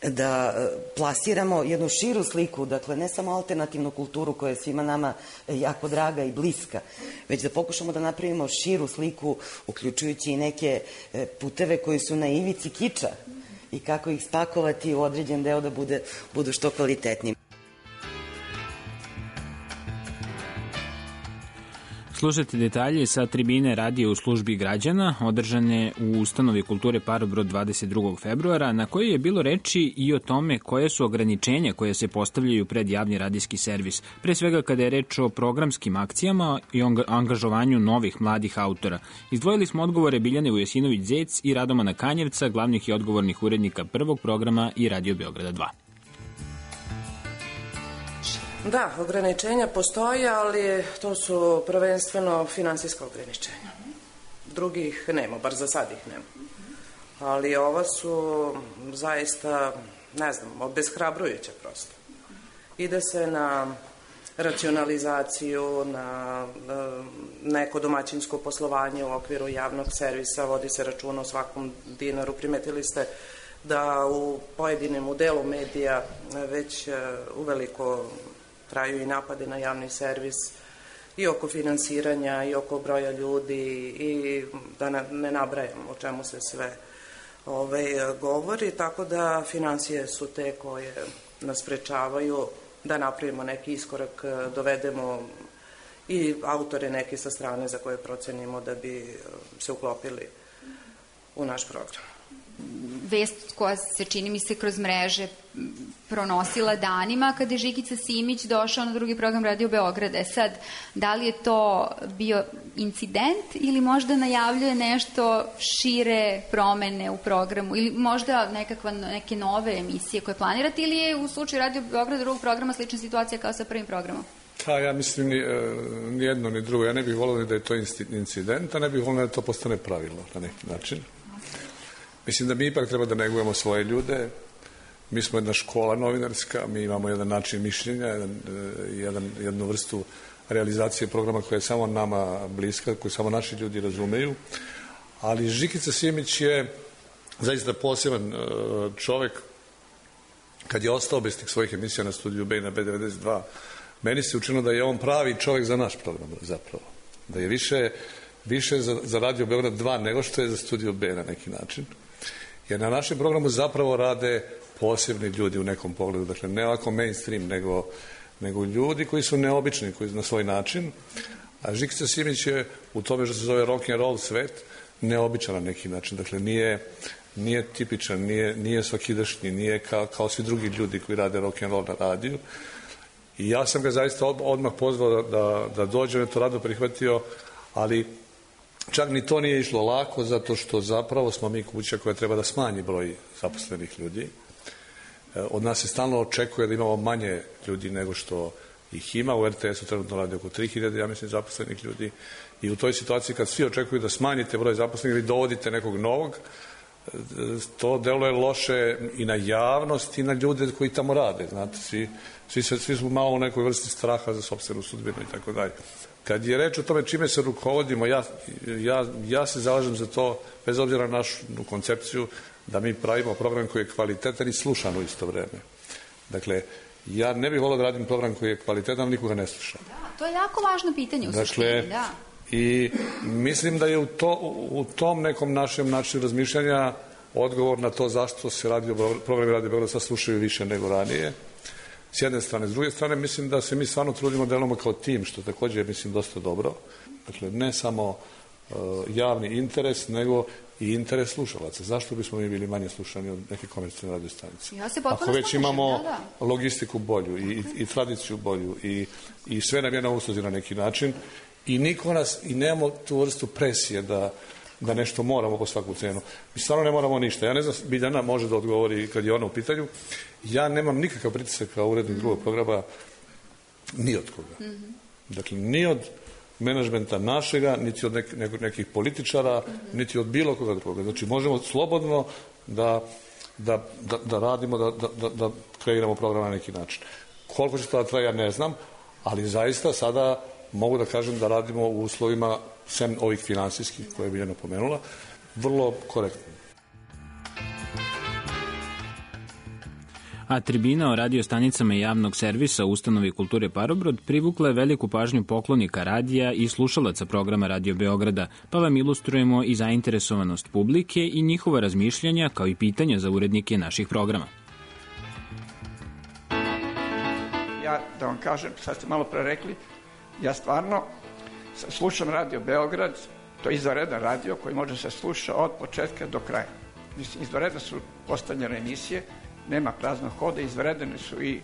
Da plasiramo jednu širu sliku, dakle ne samo alternativnu kulturu koja je svima nama jako draga i bliska, već da pokušamo da napravimo širu sliku, uključujući i neke puteve koji su na ivici kiča i kako ih spakovati u određen deo da bude, budu što kvalitetniji. Slušajte detalje sa tribine radija u službi građana, održane u Ustanovi kulture Parobrod dvadeset drugog februara, na kojoj je bilo reči i o tome koje su ograničenja koje se postavljaju pred javni radijski servis, pre svega kada je reč o programskim akcijama i o angažovanju novih mladih autora. Izdvojili smo odgovore Biljane Vujasinović-Zec i Radomana Kanjevca, glavnih i odgovornih urednika prvog programa i Radio Beograda dva. Da, ograničenja postoje, ali to su prvenstveno finansijska ograničenja. Drugih nema, bar za sad ih nema. Ali ova su zaista, ne znam, obeshrabrujuća prosto. Ide se na racionalizaciju, na neko domaćinsko poslovanje u okviru javnog servisa, vodi se računa o svakom dinaru. Primetili ste da u pojedinim, u delu medija već uveliko traju i napade na javni servis i oko finansiranja i oko broja ljudi i da ne nabrajam o čemu se sve ovaj, govori, tako da finansije su te koje nas sprečavaju da napravimo neki iskorak, dovedemo i autore neke sa strane za koje procenimo da bi se uklopili u naš program. vest koja se, čini mi se, kroz mreže pronosila danima kada je Žikica Simić došao na drugi program Radio Beograda. E sad, da li je to bio incident ili možda najavljuje nešto šire promene u programu ili možda nekakva, neke nove emisije koje planirate ili je u slučaju Radio Beograda drugog programa slična situacija kao sa prvim programom? Pa ja mislim ni, ni jedno ni drugo. Ja ne bih volio da je to incident, a ne bih volio da to postane pravilo na neki način. Mislim da mi ipak treba da negujemo svoje ljude. Mi smo jedna škola novinarska, mi imamo jedan način mišljenja, jedan, jedan, jednu vrstu realizacije programa koja je samo nama bliska, koju samo naši ljudi razumeju. Ali Žikica Simić je zaista poseban čovek. Kad je ostao bez tih svojih emisija na Studiju B i na B devedeset dva, meni se učinilo da je on pravi čovek za naš program zapravo. Da je više, više za, za Radio Beograd dva nego što je za Studio B na neki način. Jer na našem programu zapravo rade posebni ljudi u nekom pogledu. Dakle, ne ovako mainstream, nego, nego ljudi koji su neobični, koji na svoj način. A Žikica Simić je u tome što se zove rock and roll svet neobičan na neki način. Dakle, nije, nije tipičan, nije, nije svakidašnji, nije kao, kao svi drugi ljudi koji rade rock and roll na radiju. I ja sam ga zaista odmah pozvao da, da, da dođe, on je to rado prihvatio, ali čak ni to nije išlo lako, zato što zapravo smo mi kuća koja treba da smanji broj zaposlenih ljudi. Od nas se stalno očekuje da imamo manje ljudi nego što ih ima. U R T S-u trenutno radi oko tri hiljade, ja mislim, zaposlenih ljudi. I u toj situaciji kad svi očekuju da smanjite broj zaposlenih ili dovodite nekog novog, to deluje loše i na javnost i na ljude koji tamo rade. Znate, svi, svi, svi su malo u nekoj vrsti straha za sopstvenu sudbinu i tako dalje. Kad je reč o tome čime se rukovodimo, ja, ja, ja se zalažem za to, bez obzira na našu koncepciju, da mi pravimo program koji je kvalitetan i slušan u isto vreme. Dakle, ja ne bih volio da radim program koji je kvalitetan, ali nikoga ne sluša. Da, to je jako važno pitanje u suštini, dakle, da. I mislim da je u, to, u tom nekom našem načinu razmišljanja odgovor na to zašto se radio, programi Radio Beograd sad slušaju više nego ranije. S jedne strane. S druge strane, mislim da se mi stvarno trudimo da delamo kao tim, što takođe je, mislim, dosta dobro. Dakle, ne samo uh, javni interes, nego i interes slušalaca. Zašto bismo mi bili manje slušani od neke komercijalne radio stanice? Ja se potpuno Ako već slažem, imamo da, da. logistiku bolju i, i, i tradiciju bolju i, i sve nam je na usluzi na neki način i niko nas, i nemamo tu vrstu presije da da nešto moramo po svaku cenu. Mi stvarno ne moramo ništa. Ja ne znam, Biljana može da odgovori kad je ona u pitanju. Ja nemam nikakav pritisak kao urednik drugog programa ni od koga. Mm -hmm. Dakle, ni od menadžmenta našega, niti od nek, nek, nekih političara, mm -hmm. niti od bilo koga drugoga. Znači, možemo slobodno da, da, da, da radimo, da, da, da kreiramo program na neki način. Koliko će to da traja, ne znam, ali zaista sada mogu da kažem da radimo u uslovima, sem ovih finansijskih koje je Biljana pomenula, vrlo korektno. A tribina o radio stanicama javnog servisa Ustanovi kulture Parobrod privukla je veliku pažnju poklonika radija i slušalaca programa Radio Beograda, pa vam ilustrujemo i zainteresovanost publike i njihova razmišljanja kao i pitanja za urednike naših programa. Ja, da vam kažem, sad ste malo pre rekli, ja stvarno slušam Radio Beograd, to je izvanredan radio koji može se sluša od početka do kraja. Mislim, izvanredne su postavljene emisije, nema praznog hoda, izvanredne su i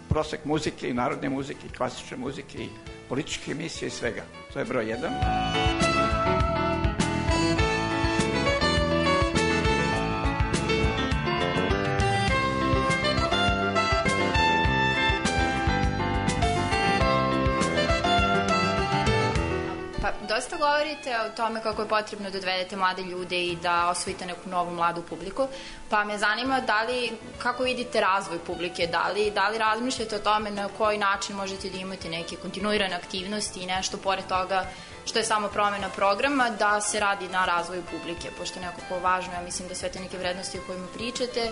prosek muzike i narodne muzike i klasične muzike i političke emisije i svega. To je broj jedan. Dosta govorite o tome kako je potrebno da dovedete mlade ljude i da osvojite neku novu mladu publiku, pa me zanima da li, kako vidite razvoj publike, da li, da li razmišljate o tome na koji način možete da imate neke kontinuirane aktivnosti i nešto pored toga što je samo promena programa, da se radi na razvoju publike, pošto je nekako važno, ja mislim da sve te neke vrednosti o kojima pričate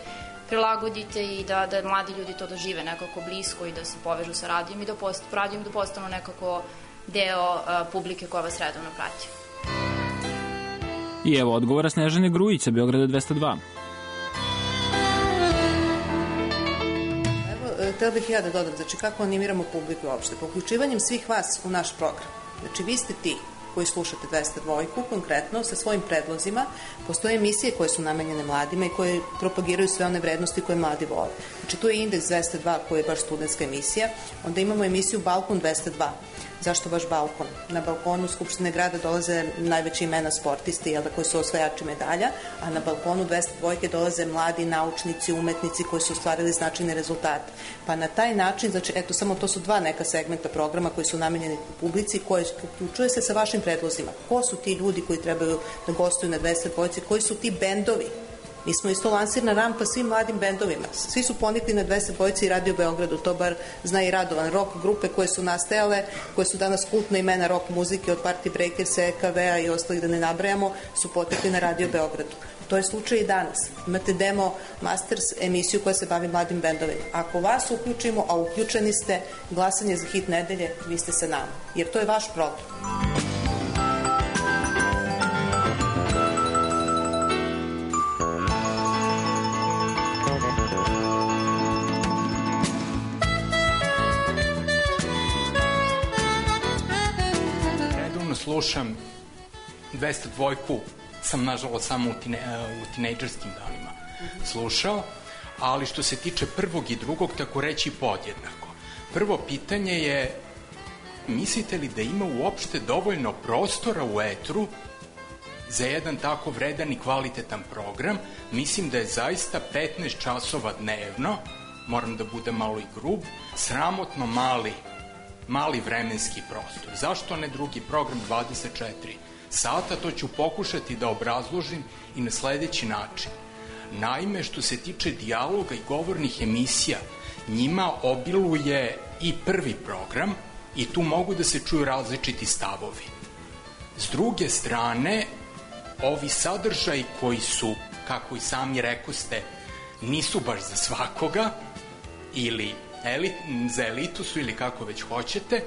prilagodite i da, da mladi ljudi to dožive nekako blisko i da se povežu sa radijom i da, post, radijom da postanu nekako deo uh, publike koja vas redovno prati. I evo odgovora Snežane Grujić sa Beograda dvesta dva. Evo, htela bih ja da dodam, znači kako animiramo publiku uopšte, po uključivanjem svih vas u naš program. Znači vi ste ti koji slušate dvesta dva konkretno sa svojim predlozima. Postoje emisije koje su namenjene mladima i koje propagiraju sve one vrednosti koje mladi vole. Znači tu je Indeks dvesta dva koji je baš studentska emisija, onda imamo emisiju Balkon dvesta dva. Zašto baš balkon? Na balkonu Skupštine grada dolaze najveće imena sportisti, jel da, koji su osvajači medalja, a na balkonu dvesta dva dolaze mladi naučnici, umetnici koji su ostvarili značajne rezultate. Pa na taj način, znači, eto, samo to su dva neka segmenta programa koji su namenjeni publici, koje uključuje se sa vašim predlozima. Ko su ti ljudi koji trebaju da gostuju na dvesta dva, koji su ti bendovi? Mi smo isto lansirna rampa svim mladim bendovima. Svi su ponikli na dvesta dva i Radio Beogradu, to bar zna i Radovan. Rock grupe koje su nastajale, koje su danas kultna imena rock muzike od Party Breakers, E K V-a i ostalih da ne nabrajamo, su potekli na Radio Beogradu. To je slučaj i danas. Imate Demo Masters emisiju koja se bavi mladim bendovima. Ako vas uključimo, a uključeni ste, glasanje za hit nedelje, vi ste sa nama. Jer to je vaš program. Slušam dvesta dva, sam nažalost samo u, tine, u tinejdžerskim danima slušao, ali što se tiče prvog i drugog, tako reći podjednako. Prvo pitanje je, mislite li da ima uopšte dovoljno prostora u etru za jedan tako vredan i kvalitetan program? Mislim da je zaista petnaest časova dnevno, moram da budem malo i grub, sramotno mali mali vremenski prostor. Zašto ne drugi program dvadeset četiri sata? To ću pokušati da obrazložim i na sledeći način. Naime, što se tiče dijaloga i govornih emisija, njima obiluje i prvi program i tu mogu da se čuju različiti stavovi. S druge strane, ovi sadržaji koji su, kako i sami rekoste, nisu baš za svakoga ili Elit, za elitu su ili kako već hoćete,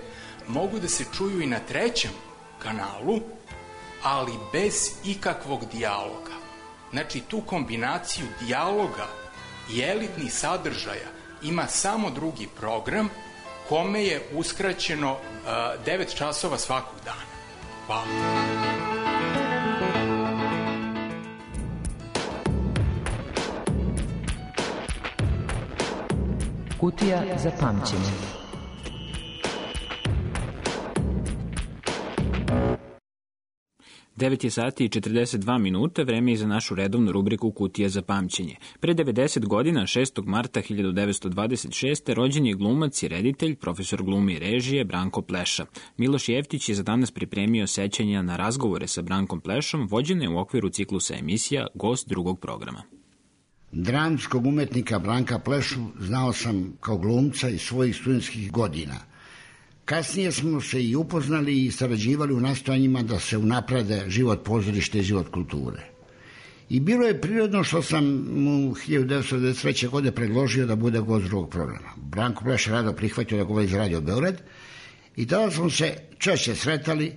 mogu da se čuju i na trećem kanalu, ali bez ikakvog dijaloga. Znači, tu kombinaciju dijaloga i elitnih sadržaja ima samo drugi program kome je uskraćeno uh, devet časova svakog dana. Hvala. Kutija za pamćenje. devet je sati i četrdeset dva minuta, vreme je za našu redovnu rubriku Kutija za pamćenje. Pre devedeset godina, šestog marta hiljadu devetsto dvadeset šeste. rođen je glumac i reditelj, profesor glume i režije Branko Pleša. Miloš Jeftić je za danas pripremio sećanja na razgovore sa Brankom Plešom, vođene u okviru ciklusa emisija Gost drugog programa. Dramskog umetnika Branka Plešu znao sam kao glumca iz svojih studentskih godina. Kasnije smo se i upoznali i sarađivali u nastojanjima da se unaprede život pozorište i život kulture. I bilo je prirodno što sam mu hiljadu devetsto devedeset treće. godine predložio da bude gost drugog programa. Branko Pleš je rado prihvatio da govori za Radio Beograd i tada smo se češće sretali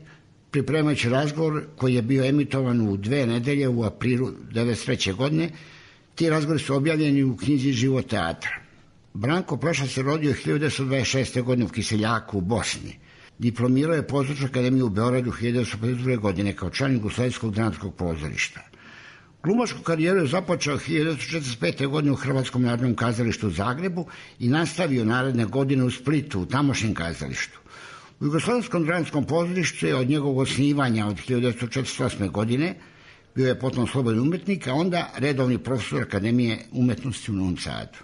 pripremajući razgovor koji je bio emitovan u dve nedelje u aprilu devedeset treće. godine. Ti razgovori su objavljeni u knjizi Život teatra. Branko Pleša se rodio hiljadu devetsto dvadeset šeste. godine u Kiseljaku u Bosni. Diplomirao je Pozorišnu akademiju u Beogradu hiljadu devetsto pedeset druge. godine kao član Jugoslavijskog dramskog pozorišta. Glumačku karijeru je započeo hiljadu devetsto četrdeset pete. godine u Hrvatskom narodnom kazalištu u Zagrebu i nastavio naredne godine u Splitu, u tamošnjem kazalištu. U Jugoslavijskom dramskom pozorištu je od njegovog osnivanja od hiljadu devetsto četrdeset osme. godine bio je potom slobodni umetnik, a onda redovni profesor Akademije umetnosti u Novom Sadu.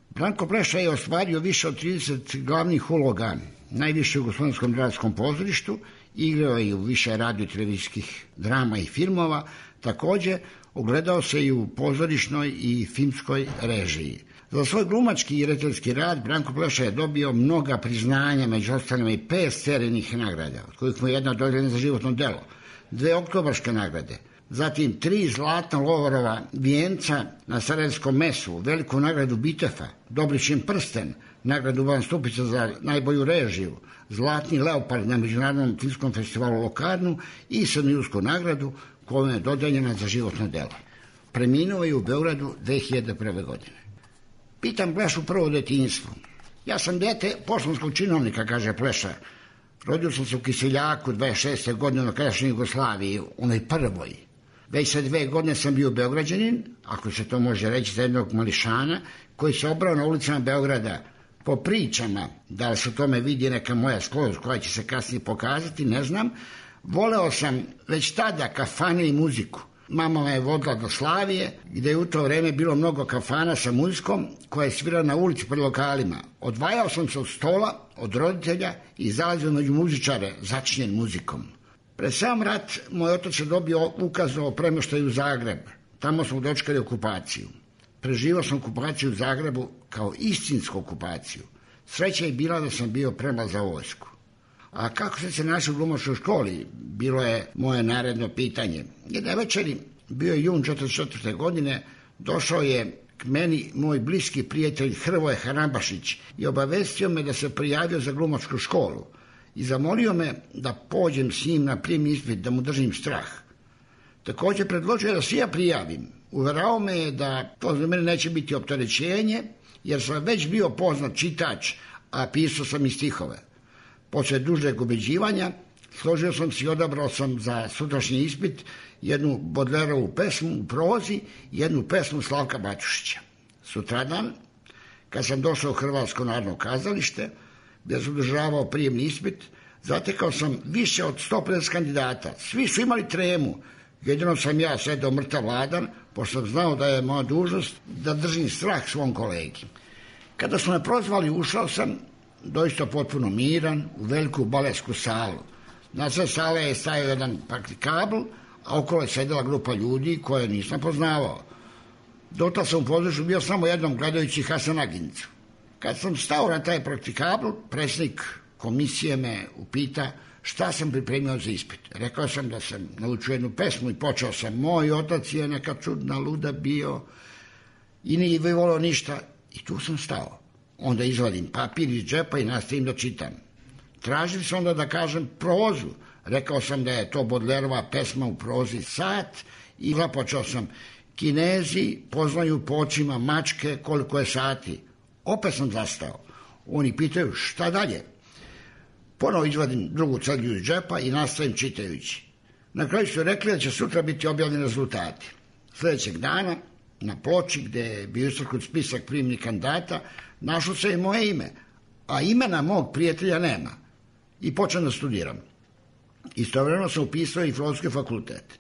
Branko Pleša je ostvario više od trideset glavnih uloga, najviše u Jugoslavijskom dramskom pozorištu, igrao je i u više radio televizijskih drama i filmova, takođe ogledao se i u pozorišnoj i filmskoj režiji. Za svoj glumački i rediteljski rad Branko Pleša je dobio mnoga priznanja, među ostalima i pet serijnih nagrada, od kojih mu je jedna dodijeljena za životno delo, dve oktobarske nagrade, zatim tri zlatna Lovorova vijenca na Sarajevskom mesu, veliku nagradu Bitefa, Dobrićin prsten, nagradu Van Stupica za najbolju režiju, zlatni Leopard na Međunarodnom filmskom festivalu Lokarnu i Srednjojursku nagradu koja je dodeljena za životno delo. Preminuo je u Beogradu dve hiljade prve. godine. Pitam Plešu prvo detinjstvo. Ja sam dete poštanskog činovnika, kaže Pleša. Rodio sam se u Kiseljaku dvadeset šeste godine na krajšnjoj Jugoslaviji, onoj prvoj. Već sa dve godine sam bio Beograđanin, ako se to može reći, za jednog mališana, koji se obrao na ulicama Beograda po pričama, da li se tome vidi neka moja sklonost koja će se kasnije pokazati, ne znam. Voleo sam već tada kafane i muziku. Mama me je vodila do Slavije, gde je u to vreme bilo mnogo kafana sa muzikom koja je svirala na ulici pred lokalima. Odvajao sam se od stola, od roditelja i zalazio među muzičare začinjen muzikom. Pred sam rat moj otac je dobio ukaz o premoštaju u Zagreb. Tamo smo dočekali okupaciju. Preživao sam okupaciju u Zagrebu kao istinsku okupaciju. Sreća je bila da sam bio premlad za vojsku. A kako sam se našao u glumačkoj školi, bilo je moje naredno pitanje. Jedne večeri, bio je jun četrdeset četvrte godine, došao je k meni moj bliski prijatelj Hrvoje Harambašić i obavestio me da se prijavio za glumačku školu i zamolio me da pođem s njim na prijemni ispit, da mu držim strah. Također predložio da se ja prijavim. Uverao me je da to za mene neće biti opterećenje, jer sam već bio poznat čitač, a pisao sam i stihove. Posle dužeg ubeđivanja, složio sam se i odabrao sam za sutrašnji ispit jednu Bodlerovu pesmu u prozi i jednu pesmu Slavka Batušića. Sutradan, kad sam došao u Hrvatsko narodno kazalište, gdje sam održavao prijemni ispit, zatekao sam više od sto pedeset kandidata. Svi su imali tremu, jedino sam ja sedao mrtav ladan, pošto sam znao da je moja dužnost da držim strah svom kolegi. Kada su me prozvali, ušao sam, doista potpuno miran, u veliku baletsku salu. Na sve sale je stajao jedan praktikabl, a okolo je sedela grupa ljudi koje nisam poznavao. Dota sam u pozorištu bio samo jednom gledajući Hasanaginicu. Kad sam stao na taj praktikabl, predsjednik komisije me upita šta sam pripremio za ispit. Rekao sam da sam naučio jednu pesmu i počeo sam: moj otac je neka čudna luda bio i nije volio ništa. I tu sam stao. Onda izvadim papir iz džepa i nastavim da čitam. Tražili sam onda da kažem prozu. Rekao sam da je to Bodlerova pesma u prozi Sat i započeo sam: Kinezi poznaju po očima mačke koliko je sati. Opet sam zastao. Oni pitaju šta dalje. Ponovo izvadim drugu cedlju iz džepa i nastavim čitajući. Na kraju su rekli da će sutra biti objavljeni rezultati. Sljedećeg dana na ploči gde je bio istaknut spisak prijemnih kandidata našlo se i moje ime, a imena mog prijatelja nema. I počnem da studiram. Istovremeno sam upisao i Filozofski fakultet.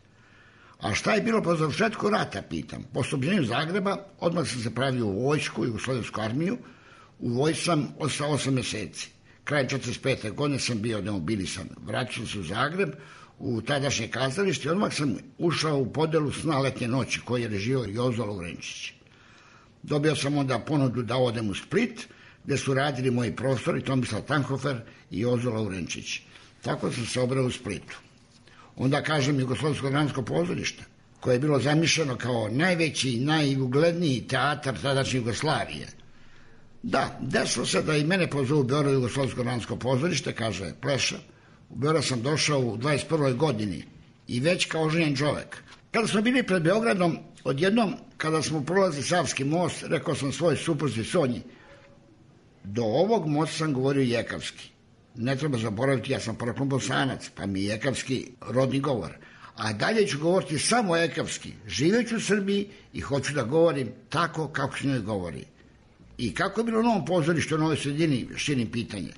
A šta je bilo po završetku rata, pitam. Po oslobođenju Zagreba odmah sam se pravio u vojsku, Jugoslavijsku armiju. U vojsku sam ostao osam meseci. Krajem četrdeset pete godine sam bio demobilisan. Vraćao se u Zagreb, u tadašnje kazalište i odmah sam ušao u podelu Sna letnje noći koji je režio Jozo Lovrenčić. Dobio sam onda ponudu da odem u Split, gde su radili moji profesori Tomislav Tanhofer i Jozo Lovrenčić. Tako sam se obrao u Splitu. Onda kažem Jugoslavijsko dramsko pozorište, koje je bilo zamišljeno kao najveći i najugledniji teatar tadašnje Jugoslavije. Da, desilo se da i mene pozovu u Beogradu Jugoslavijsko dramsko pozorište, kaže Pleša. U Beograd sam došao u dvadeset prvoj godini i već kao oženjen čovek. Kada smo bili pred Beogradom, odjednom, kada smo prolazili Savski most, rekao sam svoj supruzi Sonji: do ovog mosta sam govorio jekavski. Ne treba zaboraviti, ja sam poreklom Bosanac, pa mi je jekavski rodni govor. A dalje ću govoriti samo jekavski. Živeću u Srbiji i hoću da govorim tako kako se njoj govori. I kako je bilo u Novom pozorištu, u Novoj sredini, širim pitanje.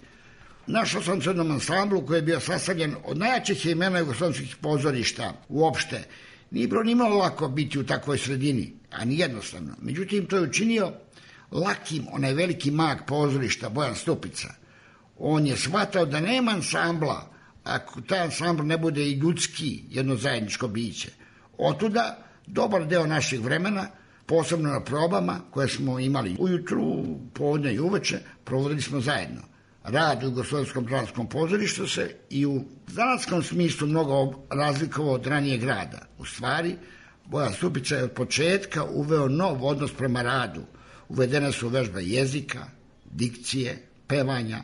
Našao sam se u jednom ansamblu koji je bio sastavljen od najjačih imena jugoslavijskih pozorišta uopšte. Nije bilo ni malo lako biti u takvoj sredini, a ni jednostavno. Međutim, to je učinio lakim onaj veliki mag pozorišta Bojan Stupica. On je shvatao da nema ansambla ako taj ansambl ne bude i ljudski, jedno zajedničko biće. Otuda dobar deo naših vremena, posebno na probama koje smo imali ujutru, povodne i uveče, provodili smo zajedno. Rad u Jugoslavijskom dramskom pozorištu se i u zanatskom smislu mnogo razlikovao od ranijeg rada. U stvari, Bojan Stupica je od početka uveo nov odnos prema radu. Uvedene su vežbe jezika, dikcije, pevanja,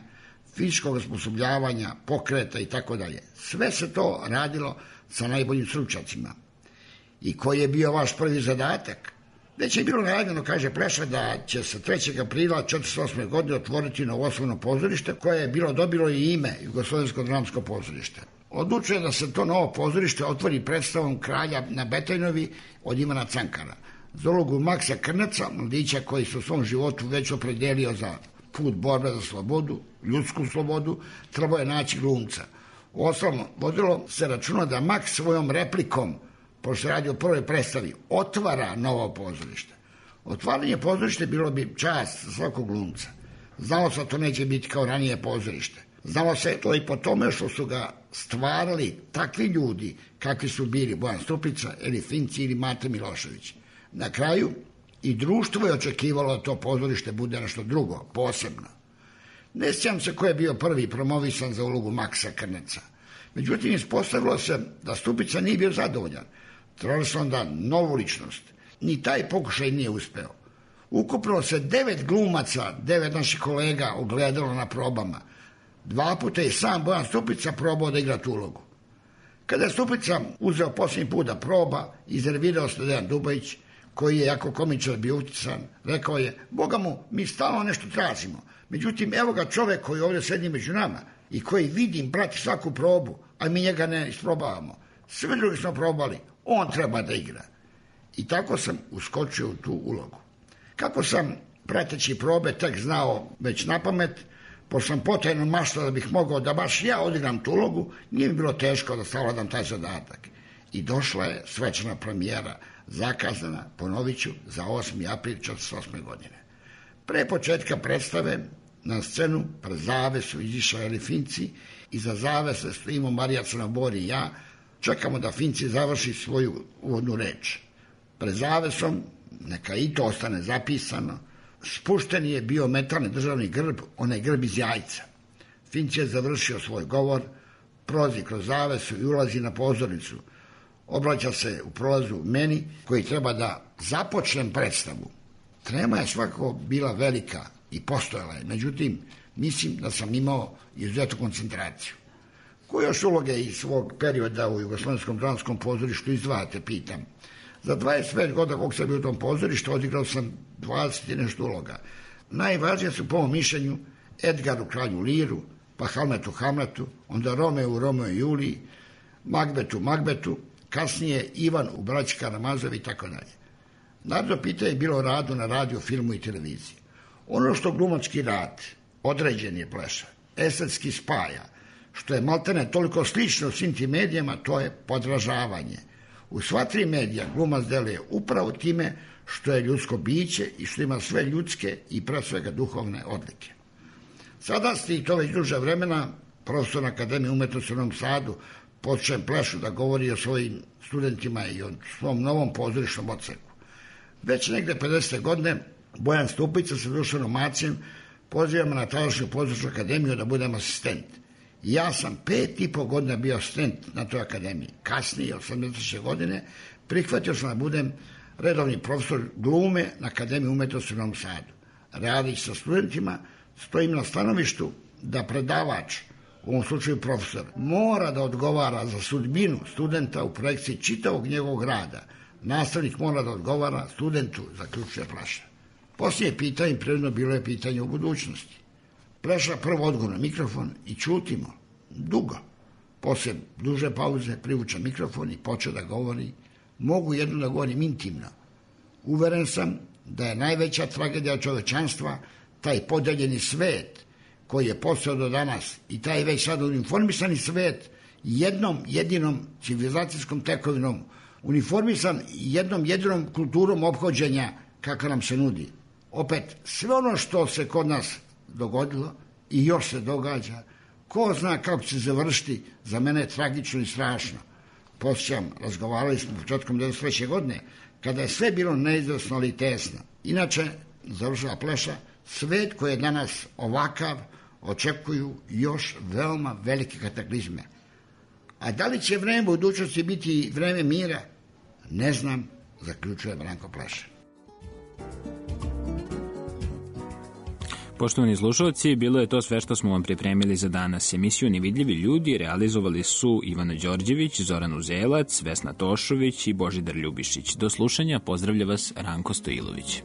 fizičkog osposobljavanja, pokreta i tako dalje. Sve se to radilo sa najboljim stručnjacima. I koji je bio vaš prvi zadatak? Već je bilo najavljeno, kaže Pleša, da će se trećeg aprila četrdeset osme. godine otvoriti novoslovno pozorište koje je bilo dobilo i ime Jugoslovensko dramsko pozorište. Odlučuje da se to novo pozorište otvori predstavom Kralja na Betajnovi od Ivana Cankara. Za ulogu Maksa Krneca, mladića koji se u svom životu već opredelio za put borbe za slobodu, ljudsku slobodu, trebao je naći glumca. Uostalom, vodilo se računa da Maks svojom replikom, pošto se radi o prvoj predstavi, otvara novo pozorište. Otvaranje pozorište bilo bi čast za svakog glumca. Znalo se da to neće biti kao ranije pozorište. Znalo se to i po tome što su ga stvarali takvi ljudi kakvi su bili Bojan Stupica, Eli Finci ili Mate Milošević. Na kraju i društvo je očekivalo da to pozorište bude nešto drugo, posebno. Ne sjećam se ko je bio prvi promovisan za ulogu Maksa Krneca. Međutim, ispostavilo se da Stupica nije bio zadovoljan. Trebali su onda novu ličnost. Ni taj pokušaj nije uspeo. Ukupno se devet glumaca, devet naših kolega ogledalo na probama. Dva puta je sam Bojan Stupica probao da igra tu ulogu. Kada je Stupica uzeo posljednji put da proba, iznervirao se Dejan Dubajić, koji je jako komičar bio utican, rekao je, Boga mu, mi stalno nešto tražimo. Međutim, evo ga čovek koji ovdje sedi među nama i koji vidim, prati svaku probu, a mi njega ne isprobavamo. Sve drugi smo probali, on treba da igra. I tako sam uskočio u tu ulogu. Kako sam, prateći probe, tek znao već na pamet, pošto sam potajno maštao da bih mogao da baš ja odigram tu ulogu, nije mi bilo teško da savladam taj zadatak. I došla je svečana premijera, zakazana, ponovit ću, za osmi april četrdeset osme. godine. Pre početka predstave na scenu pred zavesu izišao Eli Finci, iza zavese stojimo Marija Crnobor i ja, čekamo da Finci završi svoju uvodnu reč. Pred zavesom, neka i to ostane zapisano, spušten je bio metalni državni grb, onaj grb iz jajca. Finci je završio svoj govor, prolazi kroz zavesu i ulazi na pozornicu. Obraća se u prolazu meni, koji treba da započnem predstavu. Trema je svakako bila velika i postojala je, međutim, mislim da sam imao izuzetnu koncentraciju. Koje još uloge iz svog perioda u Jugoslovenskom dramskom pozorištu izdvajate, pitam. Za dvadeset pet godina kog sam bio u tom pozorištu, odigrao sam dvadeset i nešto uloga. Najvažnije su, po mom mišljenju, Edgar u Kralju Liru, pa Hamlet u Hamletu, onda Romeo u Romeo i Juliji, Magbet u Magbetu, kasnije Ivan u Braći Karamazovi i tako dalje. Naravno, pitanje je bilo o radu na radiju, filmu i televiziji. Ono što glumački rad, određen je Pleša, estetski spaja, što je maltene toliko slično u svim tim medijama, to je podražavanje. U sva tri medija glumac deluje upravo time što je ljudsko biće i što ima sve ljudske i pre svega duhovne odlike. Sada ste i to već duže vremena, profesor na Akademiji umetnosti u Novom Sadu, počnem Plešu da govori o svojim studentima i o svom novom pozorišnom odseku. Već negde pedesete. godine Bojan Stupica sa Dušanom Macijem pozivamo na tadašnju pozorišnu akademiju da budem asistent. Ja sam pet i po godina bio asistent na toj akademiji. Kasnije, osamdesete. godine, prihvatio sam da budem redovni profesor glume na Akademiji umetnosti u Novom Sadu. Radić sa studentima, stojim na stanovištu da predavač, u ovom slučaju profesor, mora da odgovara za sudbinu studenta u projekciji čitavog njegovog rada. Nastavnik mora da odgovara studentu, zaključuje Pleša. Poslije pitanje, prirodno bilo je pitanje o budućnosti. Pleša prvo odgovor na mikrofon i čutimo, dugo. Poslije duže pauze privuče mikrofon i počeo da govori. Mogu jedno da govorim intimno. Uveren sam da je najveća tragedija čovečanstva taj podeljeni svet koji je postao do danas i taj već sad uniformisani svet jednom jedinom civilizacijskom tekovinom, uniformisan jednom jedinom kulturom ophođenja kakva nam se nudi. Opet, sve ono što se kod nas dogodilo i još se događa, ko zna kako će se završiti, za mene je tragično i strašno. Posjećam, razgovarali smo početkom devedeset treće. godine, kada je sve bilo neizvesno ali tesno. Inače, završila Pleša, svet koji je danas ovakav, očekuju još veoma velike kataklizme. A da li će vreme budućnosti biti vreme mira? Ne znam, zaključuje Branko Pleša. Poštovani slušalci, bilo je to sve što smo vam pripremili za danas. Emisiju Nevidljivi ljudi realizovali su Ivana Đorđević, Zoran Uzelac, Vesna Tošović i Božidar Ljubišić. Do slušanja, pozdravlja vas Ranko Stojilović.